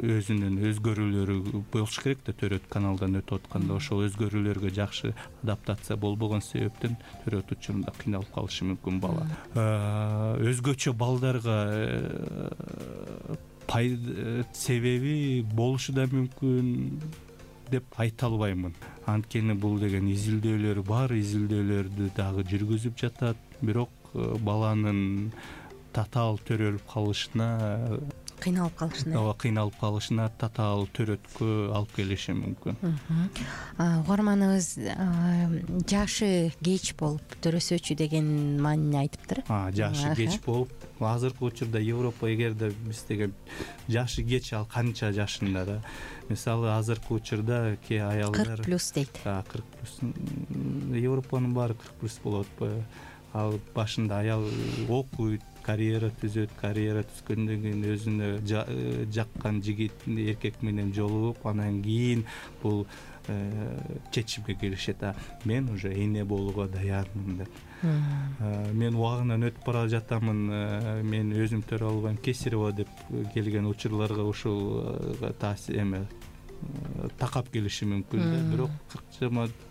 өзүнүн өзгөрүүлөрү болуш керек да, төрөт каналдан өтүп атканда ошол өзгөрүүлөргө жакшы адаптация болбогон себептен төрөт учурунда кыйналып калышы мүмкүн бала. Өзгөчө балдарга себеби болушу да мүмкүн деп айта албаймын. Анткени бул деген изилдөөлөр бар, изилдөөлөрдү дагы жүргүзүп жатат, бирок баланын татаал төрөлүп калышына кыйналып калышына ооба кыйналып калышына татаал төрөткө алып келиши мүмкүн. Угарманыбыз жашы кеч болуп төрөсөчү деген маанини айтыптыр. Жашы кеч болуп, азыркы учурда Европа эгерде биз деген жашы кеч, ал канча жашында да. Мисалы азыркы учурда кээ аялдар кырк плюс дейт. кырк плюс. Европанын баары кырк плюс болот атпайбы? Ал башында аял окуйт, карьера түзөт, карьера түзгөндөн кийин өзүнө жаккан жигит, эркек менен жолугуп, анан кийин бул чечимге келишет. Мен уже эне болууга даярмын деп. Мен убагынан өтүп бара жатамын, мен өзүм төрө албайм, Кесарева деп келген учурларга ушул таасир эме такап келиши мүмкүн да, бирок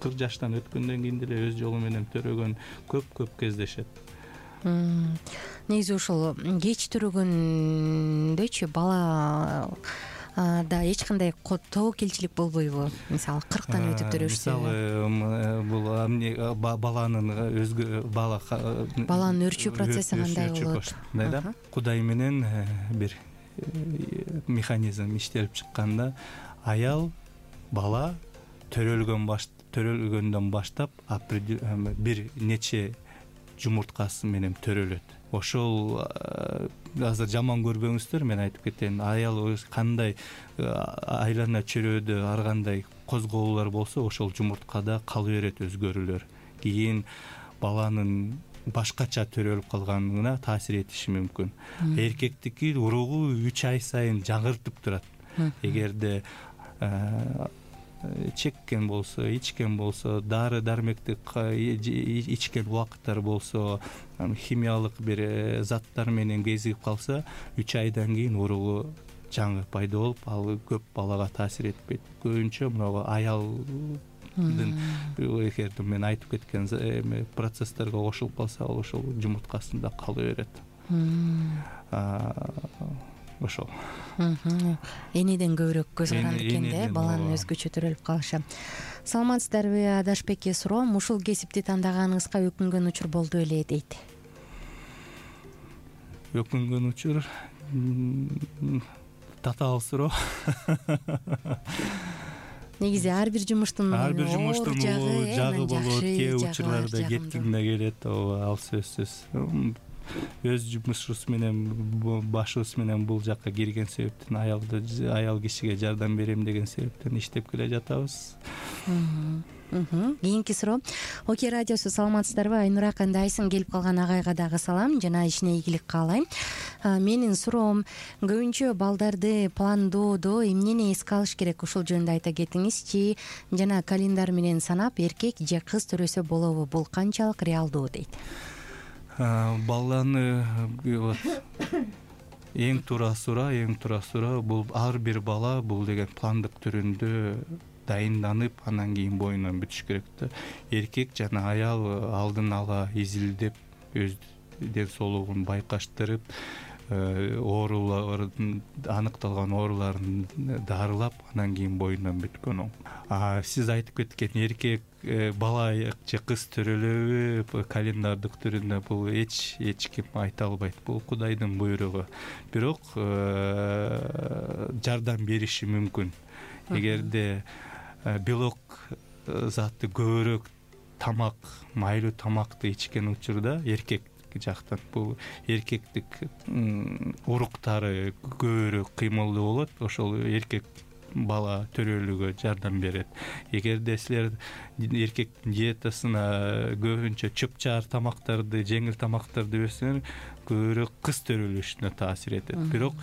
кырк жаштан өткөндөн кийин деле өз жолу менен төрөгөн көп-көп кездешет. Негизи ушул кеч төрөгөндөчү бала да эч кандай тобокелчилик болбойбу? Мисалы кырктан өтүп төрөшсө. Мисалы бул баланын өзгө бала баланын өрчүү процесси кандай болот? Да, Кудай менен бир механизм иштелип чыкканда аял бала төрөлгөн баш төрөлгөндөн баштап бир нече жумурткасы менен төрөлөт. ошол азыр жаман көрбөңүздөр, мен айтып кетейин, аял кандай айлана чөйрөдө ар кандай козголуулар болсо ошол жумурткада кала берет өзгөрүүлөр. Кийин баланын башкача төрөлүп калганына таасир этиши мүмкүн. Эркектики уругу үч ай сайын жаңыртып турат. Эгерде чеккен болсо, ичкен болсо, дары дармекти ичкен убакыттар болсо, химиялык бир заттар менен кезигип калса, үч айдан кийин уругу жаңы пайда болуп, ал көп балага таасир этпейт. Көбүнчө мына аялдын эгерде мен айтып кеткен процесстерге кошулуп калса, ал ошол жумурткасында кала берет. Ошол. Энеден көбүрөөк көз каранды экен да, баланын өзгөчө төрөлүп калышы. Саламатсыздарбы, Адашбекке суроом, ушул кесипти тандаганыңызга өкүнгөн учур болду беле дейт. Өкүнгөн учур татаал суроо. Негизи ар бир жумуштун ар бир жумуштун жагы болот, кээ учурларда кеткиме келет, ал сөзсүз. Өз жумушубуз менен, башыбыз менен бул жакка кирген себептен, аялды аял кишиге жардам берем деген себептен иштеп келе жатабыз. Кийинки суроо. Окей радиосу, саламатсыздарбы? Айнура, кандайсың? Келип калган агайга дагы салам, жана ишине ийгилик каалайм. Менин суроом, көбүнчө балдарды пландоодо эмнени эске алыш керек, ушул жөнүндө айта кетиңизчи. Жана календар менен санап, эркек же кыз төрөсө болобу? Бул канчалык реалдуу дейт. Баланы эң туура суроо, эң туура суроо бул ар бир бала бул деген пландык түрүндө дайынданып, анан кийин боюнан бүтүш керек да. Эркек жана аял алдын ала изилдеп, өз ден соолугун байкаштырып, оорулардын, аныкталган ооруларын дарылап, анан кийин боюнан бүткөн оң. Сиз айтып кеткен эркек бала же кыз төрөлөбү календардык түрүндө, бул эч эч ким айта албайт. Бул Кудайдын буйругу. Бирок жардам бериши мүмкүн. Эгерде белок заты көбүрөөк тамак, майлуу тамакты ичкен учурда эркек жактан бул эркектик уруктары көбүрөөк кыймылдуу болот, ошол эркек бала төрөлүүгө жардам берет. Эгерде силер эркектин диетасына көбүнчө чөп-чаар тамактарды, жеңил тамактарды берсеңер, көбүрөөк кыз төрөлүшүнө таасир этет. Бирок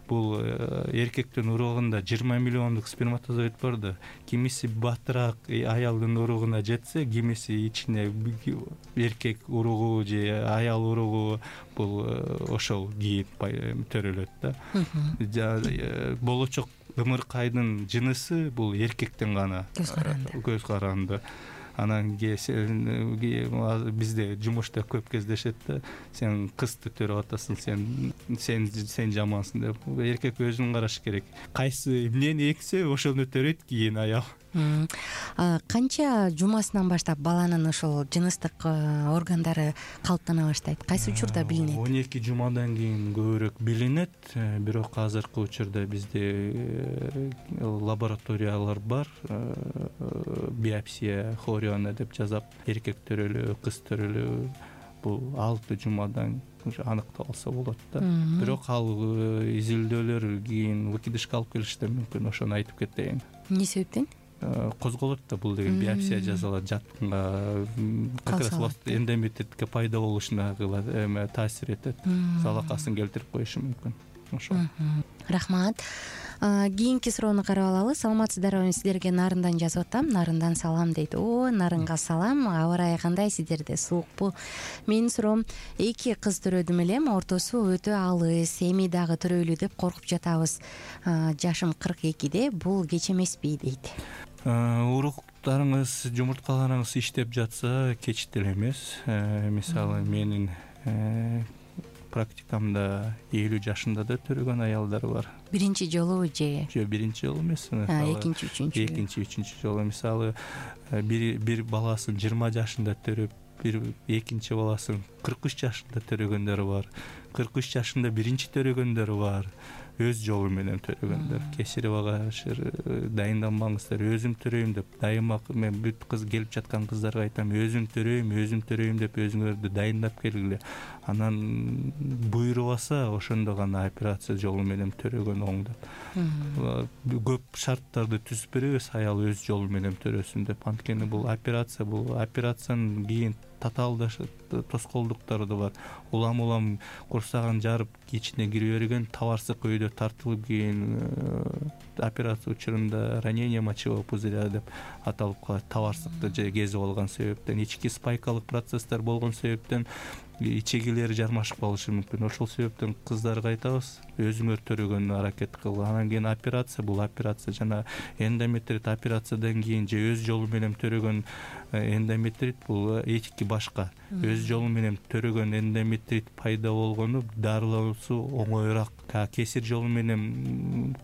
бул эркектин уругунда жыйырма миллиондук сперматозоид бар да, кимиси батыраак аялдын уругуна жетсе, кимиси ичине эркек уругу же аял уругу бул ошол кийин төрөлөт да. Болочок ымыркайдын жынысы бул эркектен гана көз каранды. Анан бизде жумушта көп кездешет да, сен кызды төрөп атасың, сен сен сен жамансың деп. Эркек өзүн караш керек. Кайсы эмнени эксе ошону төрөйт кийин аял. Канча жумасынан баштап баланын ошол жыныстык органдары калыптана баштайт? Кайсы учурда билинет? он эки жумадан кийин көбүрөөк билинет. Бирок азыркы учурда бизде лабораториялар бар. Биопсия, хориона деп жазап, эркек төрөлүү, кыз төрөлүү бул алты жумадан аныкталса болот да. Бирок ал изилдөөлөр кийин выкидышка алып келиши да мүмкүн, ошону айтып кетейин. Эмне себептен? Козголот да бул деген биопсия жасалат, жатканга как раз эндометритке пайда болушуна таасир этет, залакасын келтирип коюшу мүмкүн. Ошол. Рахмат. Кийинки суроону карап алалы. Саламатсыздарбы? Сиздерге Нарындан жазып атам. Нарындан салам дейт. О, Нарынга салам. Аба ырайы кандай? Сиздерде суукпу? Менин суроом, эки кыз төрөдүм элем, ортосу өтө алыс, эми дагы төрөйлү деп коркуп жатабыз. Жашым кырк экиде, бул кеч эмеспи дейт. Уруктарыңыз, жумурткаларыңыз иштеп жатса, кеч деле эмес. Мисалы, менин практикамда элүү жашында да төрөгөн аялдар бар. Биринчи жолу же? Жок, биринчи жолу эмес. Экинчи, үчүнчү. Экинчи, үчүнчү жолу. Мисалы, бир бир баласын жыйырма жашында төрөп, бир экинчи баласын кырк үч жашында төрөгөндөр бар. кырк үч жашында биринчи төрөгөндөр бар. өз жолу менен төрөгөндөр. Кесаревага дайынданбаңыздар, өзүм төрөйм деп дайыма мен бүт кыз келип жаткан кыздарга айтам, өзүм төрөйм, өзүм төрөйм деп өзүңөрдү дайындап келгиле. Анан буйрубаса ошондо гана операция жолу менен төрөгөн оң деп. Көп шарттарды түзүп беребиз, аял өз жолу менен төрөсүн деп. Анткени бул операция, бул операциянын кийин татаалда тоскоолдуктары да бар. Улам улам курсагын жарып ичине кире берген, табарсык өйдө тартылып, кийин операция учурунда ранение мочевого пузыря деп аталып калат. Табарсыкты же кезип алган себептен, ички спайкалык процесстер болгон себептен ичегилери жармашып калышы мүмкүн. Ошол себептен кыздарга айтабыз, өзүңөр төрөгөнгө аракет кыл. Анан кийин операция, бул операция жана эндометрит операциядан кийин же өз жолу менен төрөгөн эндометрит бул эки башка. Өз жолу менен төрөгөн эндометрит пайда болгону дарылоосу оңоюраак. Кесир жолу менен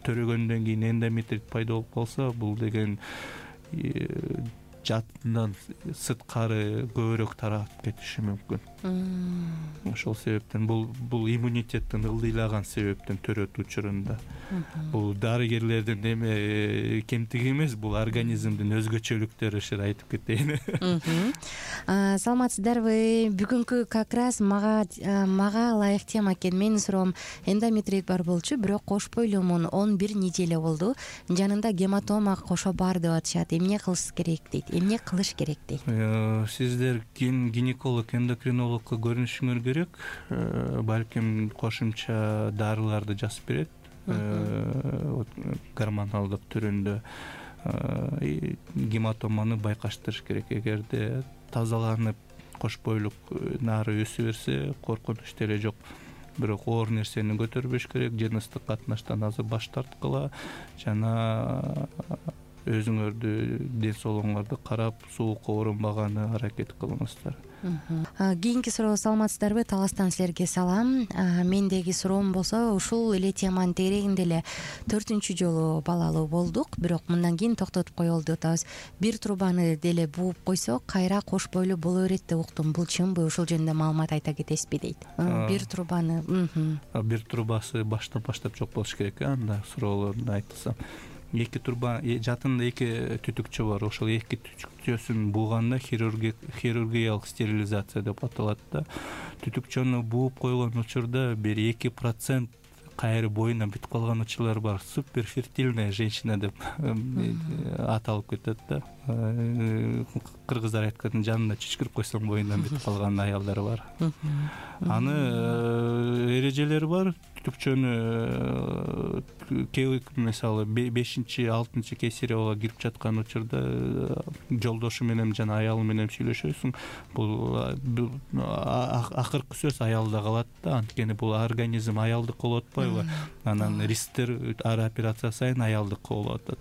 төрөгөндөн кийин эндометрит пайда болуп калса, бул деген жатынан сырткары көбүрөөк тарап кетиши мүмкүн. Ошол себептен бул бул иммунитеттин ылдыйлаган себептен төрөт учурунда. Бул дарыгерлердин эме кемтиги эмес, бул организмдин өзгөчөлүктөрү ушул айтып кетейин. Саламатсыздарбы? Бүгүнкү как раз мага мага ылайык тема экен. Менин суроом, эндометрит бар болчу, бирок кош бойлумун он бир неделя болду. Жанында гематома кошо бар деп атышат. Эмне кылыш керек дейт? Эмне кылыш керек дейт? Сиздер гинеколог, эндокринологко көрүнүшүңөр керек. Балким кошумча дарыларды жазып берет. Гормоналдык түрүндө гематоманы байкаштырыш керек. Эгерде тазаланып кош бойлук нары өсө берсе, коркунуч деле жок. Бирок оор нерсени көтөрбөш керек, жыныстык катнаштан азыр баш тарткыла жана өзүңөрдү, ден соолугуңарды карап, суукка оорунбаганы аракет кылыңыздар. Кийинки суроо, саламатсыздарбы? Таластан силерге салам. Мендеги суроом болсо, ушул эле теманын тегерегинде эле төртүнчү жолу балалуу болдук, бирок мындан кийин токтотуп коелу деп атабыз. Бир трубаны деле бууп койсок, кайра кош бойлуу боло берет деп уктум. Бул чынбы? Ушул жөнүндө маалымат айта кетесизби дейт. Бир трубаны. Бир трубасы баштан баштап жок болуш керек, анда суроолорду айтсам. Эки труба, жатында эки түтүкчө бар. Ошол эки түтүкчөсүн бууганда хирургиялык стерилизация деп аталат да. Түтүкчөнү бууп койгон учурда бир эки процент кайры боюна бүтүп калган учурлар бар. Суперфертильная женщина деп аталып кетет да. Кыргыздар айткан, жанына чүчкүрүп койсоң боюнан бүтүп калган аялдар бар. Аны эрежелери бар. Түтүкчөнү мисалы бешинчи, алтынчы кесаревага кирип жаткан учурда жолдошу менен жана аялы менен сүйлөшөсүң. Бул акыркы сөз аялда калат да, анткени бул организм аялдыкы болуп атпайбы? Анан рисктер ар операция сайын аялдыкы болуп атат.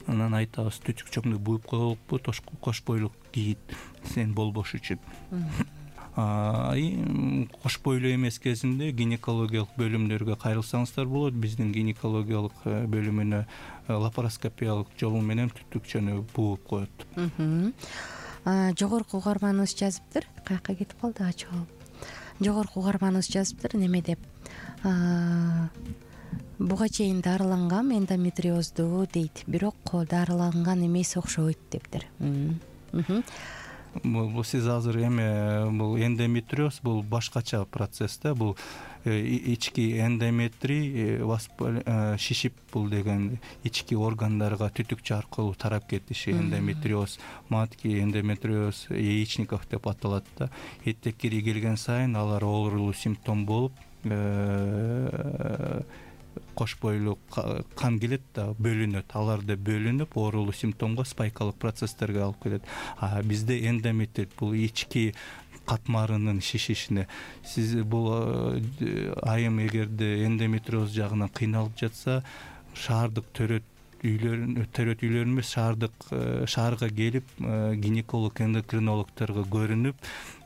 Анан айтабыз, түтүкчөңдү бууп коелуппу, кош бойлук кийит, сен болбош үчүн. Кош бойлуу эмес кезинде гинекологиялык бөлүмдөргө кайрылсаңыздар болот. Биздин гинекологиялык бөлүмүнө лапароскопиялык жолу менен түтүкчөнү бууп коет. Жогорку угарманыбыз жазыптыр. Каяка кетип калды ачып? Жогорку угарманыбыз жазыптыр, неме деп? Буга чейин дарылангам эндометриозду дейт, бирок дарыланган эмес окшойт дептир. Бул сиз азыр эме, бул эндометриоз бул башкача процесс да. Бул ички эндометрий шишип, бул деген ички органдарга түтүкчө аркылуу тарап кетиши эндометриоз. Матки эндометриоз яичников деп аталат да. Эттеккири келген сайын алар оорулуу симптом болуп, кош бойлуу кан келет да, бөлүнөт. Аларды бөлүнүп, оорулуу симптомго, спайкалык процесстерге алып келет. А бизде эндометрит бул ички катмарынын шишишине. Сиз бул айым эгерде эндометриоз жагынан кыйналып жатса, шаардык төрөт үйлөрүн, төрөт үйлөрүн эмес, шаардык шаарга келип, гинеколог, эндокринологторго көрүнүп,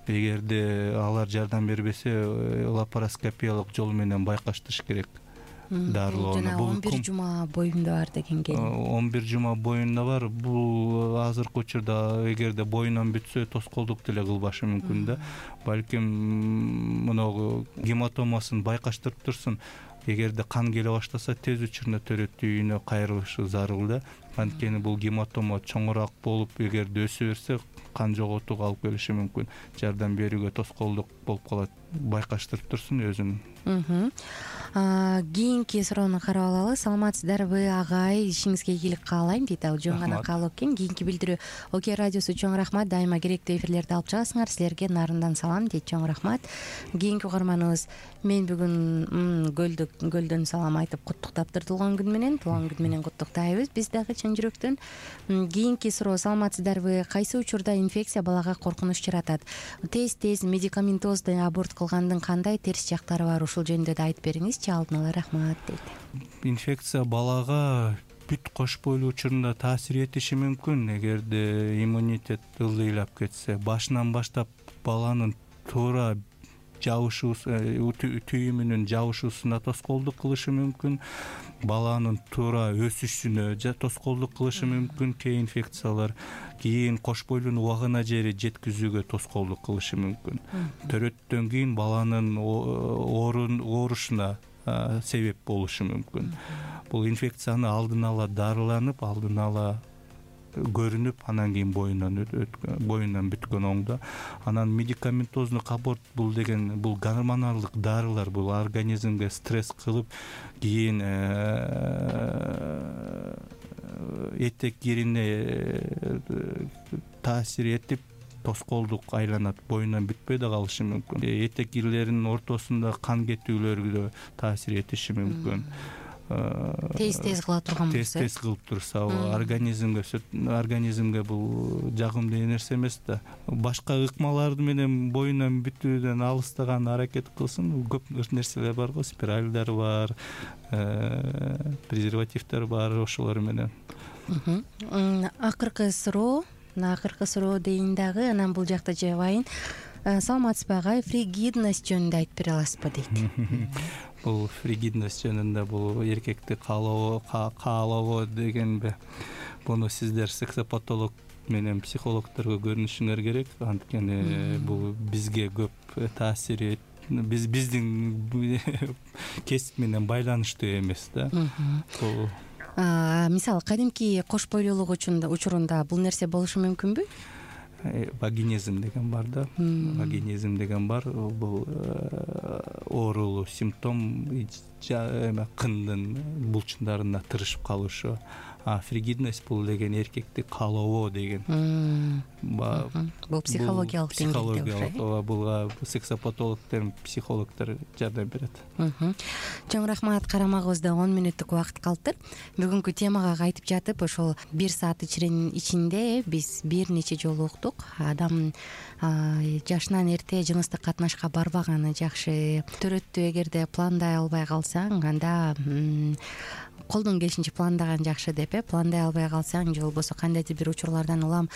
эгерде алар жардам бербесе, лапароскопиялык жол менен байкаштырыш керек. Жана он бир жума боюнда бар деген келин. он бир жума боюнда бар. Бул азыркы учурда эгерде боюнан бүтсө, тоскоолдук деле кылбашы мүмкүн да. Балким мына гематомасын байкаштырып турсун, эгерде кан келе баштаса тез учурда төрөттүү үйүнө кайрылышы зарыл да. Анткени бул гематома чоңураак болуп, эгерде өсө берсе кан жоготууга алып келиши мүмкүн. Жардам берүүгө тоскоолдук болуп калат. Байкаштырып турсун өзүн. Кийинки суроону карап алалы. Саламатсыздарбы агай, ишиңизге ийгилик каалайм дейт. Ал жөн гана каалоо экен. Кийинки билдирүү Окей радиосу чоң рахмат. Дайыма керектүү эфирлерди алып чыгасыңар. Силерге нарындан салам дейт. Чоң рахмат. Кийинки угарманыбыз: мен бүгүн көлдүк көлдөн салам айтып куттуктаптыр туулган күн менен. Туулган күн менен куттуктайбыз биз дагы чын жүрөктөн. Кийинки суроо: саламатсыздарбы? Кайсы учурда инфекция балага коркунуч жаратат? Тез-тез медикаментозду аборт кылгандын кандай терс жактары бар? Ушул жөнүндө да айтып бериңизчи. Алдын ала рахмат дейт. Инфекция балага бүт кош бойлуу учурунда таасир этиши мүмкүн. Эгерде иммунитет ылдыйлап кетсе, башынан баштап баланын туура жабышуу түйүмүнүн жабышуусуна тоскоолдук кылышы мүмкүн. Баланын туура өсүшүнө тоскоолдук кылышы мүмкүн кээ инфекциялар. Кийин кош бойлуунун убагына жери жеткизүүгө тоскоолдук кылышы мүмкүн. Төрөттөн кийин баланын оорушуна себеп болушу мүмкүн. Бул инфекцияны алдын ала дарыланып, алдын ала көрүнүп, анан кийин боюнан боюнан бүткөн оңдо. Анан медикаментозду аборт бул деген бул гормоналдык дарылар, бул организмге стресс кылып, кийин этек кирине таасир этип тоскоолдук айланат, боюнан бүтпөй да калышы мүмкүн. Этек кирлеринин ортосунда кан кетүүлөргө таасир этиши мүмкүн. Тез-тез кыла турган болсо, тез-тез кылып турса, организмге организмге бул жагымдуу нерсе эмес да. Башка ыкмаларды менен боюнан бүтүүдөн алыстаган аракет кылсын. Көп нерселер бар го, спиральдар бар, презервативдер бар, ошолор менен. Акыркы суроо, акыркы суроо дейин дагы, анан бул жакта жабайын. Саламатсызбы агай, фригидность жөнүндө айтып бере аласызбы дейт. Бул фригидность жөнүндө бул эркекти каалоо каалоо дегенби? Буну сиздер сексопатолог менен психологдорго көрүнүшүңөр керек. Анткени бул бизге көп таасир биз биздин кесип менен байланыштуу эмес да. Бул мисалы кадимки кош бойлуулук учурунда бул нерсе болушу мүмкүнбү? Вагинизм деген бар да. Вагинизм деген бар. Бул оорулуу симптом, кындын булчундарына тырышып калышы. А фригидность бул деген эркекти каалоо деген. Бул психологиялык деңгээлде. Бул сексопатологдор, психологдор жардам берет. Чоң рахмат. Карамагыбызда он мүнөттүк убакыт калды. Бүгүнкү темага кайтып жатып, ошол бир саат ичинде биз бир нече жолу уктук. Адам жашынан эрте жыныстык катнашка барбаганы жакшы. Төрөттү эгерде пландай албай калсаң, анда колдон келишинче пландаган жакшы деп, э пландай албай калсаң, же болбосо кандайдыр бир учурлардан улам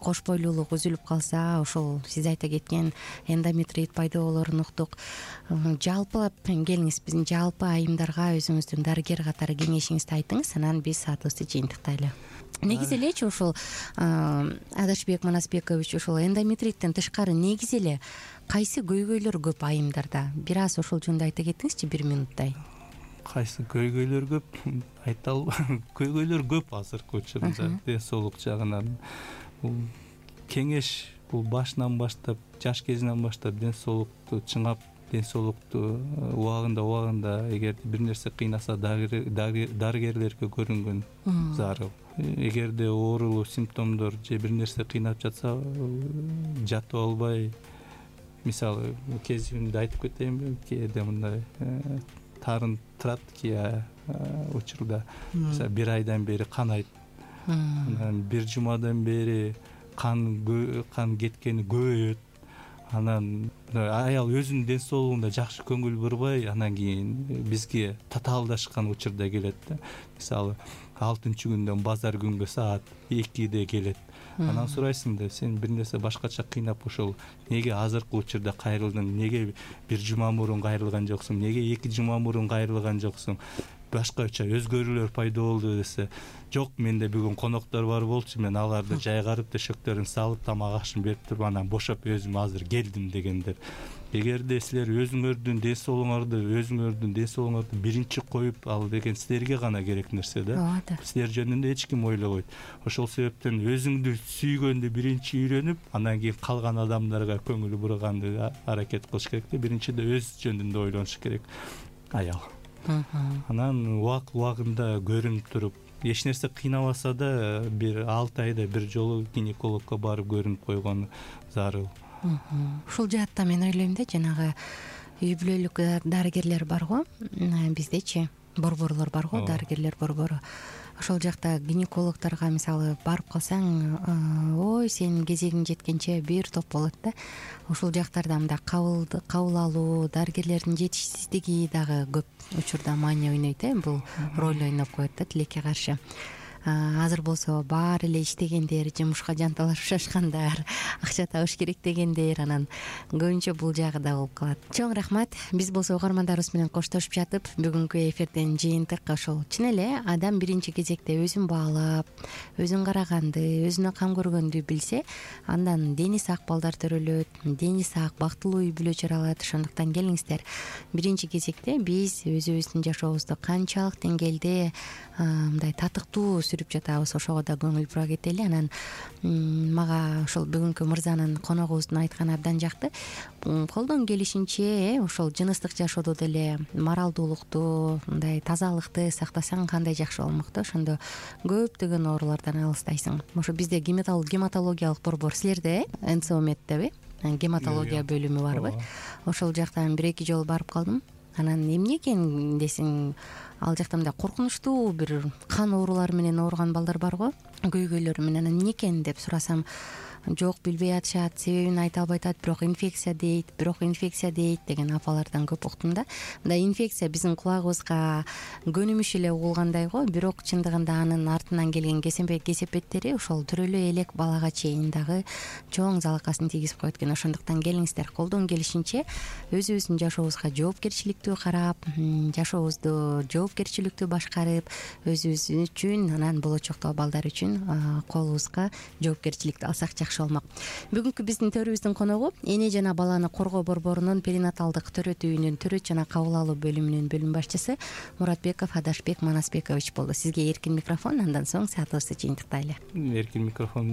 кош бойлуулук үзүлүп калса, ошол сиз айта кеткен эндометрит пайда болоорун уктук. Жалпылап келиңиз, биздин жалпы айымдарга өзүңүздүн дарыгер катары кеңешиңизди айтыңыз, анан биз саатыбызды жыйынтыктайлы. Негизи элечи ушул Адашбек Манасбекович, ушул эндометриттен тышкары негизи эле кайсы көйгөйлөр көп айымдарда? Бир аз ошол жөнүндө айта кетиңизчи, бир минуттай. Кайсы көйгөйлөр көп? Айта албайм. Көйгөйлөр көп азыркы учурда ден соолук жагынан. Бул кеңеш бул башынан баштап, жаш кезинен баштап ден соолукту чыңап, ден соолукту убагында убагында эгерде бир нерсе кыйнаса дарыгерлерге көрүнгөн зарыл. Эгерде оорулуу симптомдор же бир нерсе кыйнап жатса, жатып албай, мисалы кезимди айтып кетейинби, кээде мындай тарын турат кээ учурда. Мисалы бир айдан бери канайт. Анан бир жумадан бери кан кан кеткени көбөйөт. Анан аял өзүнүн ден соолугуна жакшы көңүл бурбай, анан кийин бизге татаалдашкан учурда келет да. Мисалы алтынчы күндөн базар күнгө саат экиде келет. Анан сурайсың да, сен бир нерсе башкача кыйнап ушул неге азыркы учурда кайрылдың, неге бир жума мурун кайрылган жоксуң, неге эки жума мурун кайрылган жоксуң? башкача өзгөрүүлөр пайда болду десе, жок, менде бүгүн коноктор бар болчу, мен аларды жайгарып төшөктөрүн салып тамак ашын берип туруп анан бошоп өзүм азыр келдим дегендер. Эгерде силер өзүңөрдүн ден соолугуңарды өзүңөрдүн ден соолугуңарды биринчи коюп, ал деген силерге гана керек нерсе да. Силер жөнүндө эч ким ойлобойт. Ошол себептен өзүңдү сүйгөндү биринчи үйрөнүп, анан кийин калган адамдарга көңүл бурганды аракет кылыш керек да. Биринчиде өз жөнүндө ойлонуш керек аял. Анан убак убагында көрүнүп туруп, эч нерсе кыйнабаса да бир алты айда бир жолу гинекологко барып көрүнүп койгон зарыл. Ушул жаатта мен ойлойм да, жанагы үй бүлөлүк дарыгерлер барго, биздечи борборлор барго, дарыгерлер борбору. Ошол жакта гинекологторго мисалы барып калсаң, ой, сенин кезегиң жеткенче бир топ болот да. Ушул жактарда мындай кабыл кабыл алуу, дарыгерлердин жетишсиздиги дагы көп учурда маани ойнойт э, бул роль ойноп коет да тилекке каршы. Азыр болсо баары эле иштегендер, жумушка жанталашып шашкандар, акча табыш керек дегендер, анан көбүнчө бул жагы да болуп калат. Чоң рахмат. Биз болсо угармандарыбыз менен коштошуп жатып, бүгүнкү эфирден жыйынтык ошол чын эле адам биринчи кезекте өзүн баалап, өзүн караганды, өзүнө кам көргөндү билсе, андан дени сак балдар төрөлөт, дени сак, бактылуу үй бүлө жаралат. Ошондуктан келиңиздер, биринчи кезекте биз өзүбүздүн жашообузду канчалык деңгээлде мындай татыктуу сүрүп жатабыз, ошого да көңүл бура кетели. Анан мага ошол бүгүнкү мырзанын коногубуздун айтканы абдан жакты. Колдон келишинче ошол жыныстык жашоодо деле моралдуулукту, мындай тазалыкты сактасаң кандай жакшы болмок да. Ошондо көптөгөн оорулардан алыстайсың. Ошо бизде гематологиялык борбор, силерде эн цэ о меддеби? Гематология бөлүмү барбы? Ошол жактан бир эки жолу барып калдым. Анан эмне экен десең, ал жакта мындай коркунучтуу бир кан оорулары менен ооруган балдар барго, көйгөйлөр менен. Эмне экен деп сурасам, жок, билбей атышат, себебин айта албай атат, бирок инфекция дейт, бирок инфекция дейт деген апалардан көп уктум да. Мындай инфекция биздин кулагыбызга көнүмүш эле угулгандай го, бирок чындыгында анын артынан келген кесепеттери ошол төрөлө элек балага чейин дагы чоң залакасын тийгизип коет экен. Ошондуктан келиңиздер, колдон келишинче өзүбүздүн жашообузга жоопкерчиликтүү карап, жашообузду жоопкерчиликтүү башкарып, өзүбүз үчүн, анан болочокто балдар үчүн колубузга жоопкерчиликти алсак жакшы болмок. Бүгүнкү биздин төрүбүздүн коногу эне жана баланы коргоо борборунун перинаталдык төрөт үйүнүн төрөт жана кабыл алуу бөлүмүнүн бөлүм башчысы Муратбеков Адашбек Манасбекович болду. Сизге эркин микрофон, андан соң саатыбызды жыйынтыктайлы. Эркин микрофон.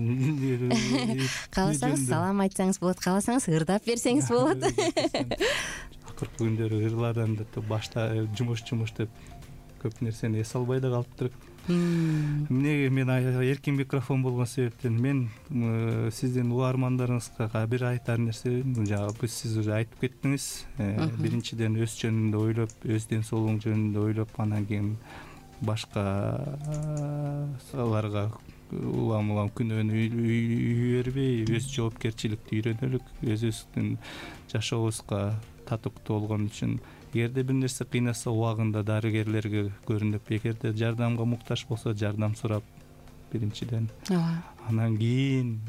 Кааласаңыз салам айтсаңыз болот, кааласаңыз ырдап берсеңиз болот. Акыркы күндөрү ырладан деп башта жумуш жумуш деп көп нерсени эс албай да калыптыр. Эмнеге мен эркин микрофон болгон себептен мен сиздин угармандарыңызга бир айтар нерсе, жагы сиз уже айтып кеттиңиз. Биринчиден өз жөнүндө ойлоп, өз ден соолугуң жөнүндө ойлоп, анан кийин башкаларга улам улам күнөөнү үй бербей, өз жоопкерчиликти үйрөнөлүк, өзүбүздүн жашообузга татыктуу болгон үчүн. Эгерде бир нерсе кыйнаса, убагында дарыгерлерге көрүнүп, эгерде жардамга муктаж болсо, жардам сурап биринчиден. Анан кийин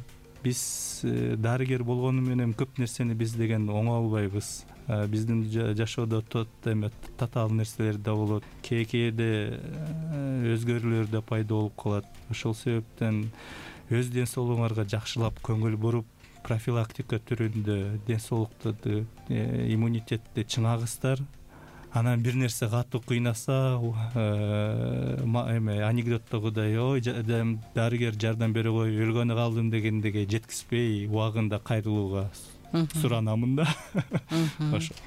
биз дарыгер болгону менен көп нерсени биз деген оңой албайбыз. Биздин жашоодо тот эме татаал нерселер да болот, кээ-кээде өзгөрүүлөр да пайда болуп калат. Ошол себептен өз ден соолугуңарга жакшылап көңүл буруп, профилактика түрүндө ден соолукту, иммунитетти чыңагыздар. Анан бир нерсе катуу кыйнаса, эме анекдоттогудай, ой, дарыгер жардам бере кой, өлгөнү калдым дегендеге жеткизбей, убагында кайрылууга суранамын да.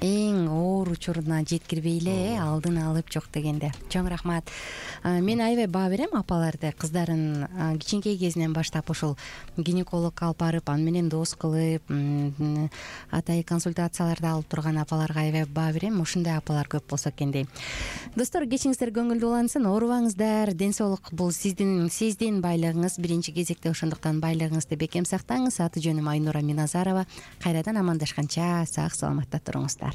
Эң оор учуруна жеткирбей эле алдын алып жок дегенде. Чоң рахмат. Мен аябай баа берем апаларды, кыздарын кичинекей кезинен баштап ошол гинекологко алып барып, аны менен дос кылып, атайын консультацияларды алып турган апаларга аябай баа берем. Ушундай апалар көп болсо экен дейм. Достор, кечиңиздер көңүлдүү улансын, оорубаңыздар. Ден соолук бул сиздин сиздин байлыгыңыз, биринчи кезекте. Ошондуктан байлыгыңызды бекем сактаңыз. Аты жөнүм Айнура Миназарова. Кайрадан амандашканча сак саламатта туруңуздар.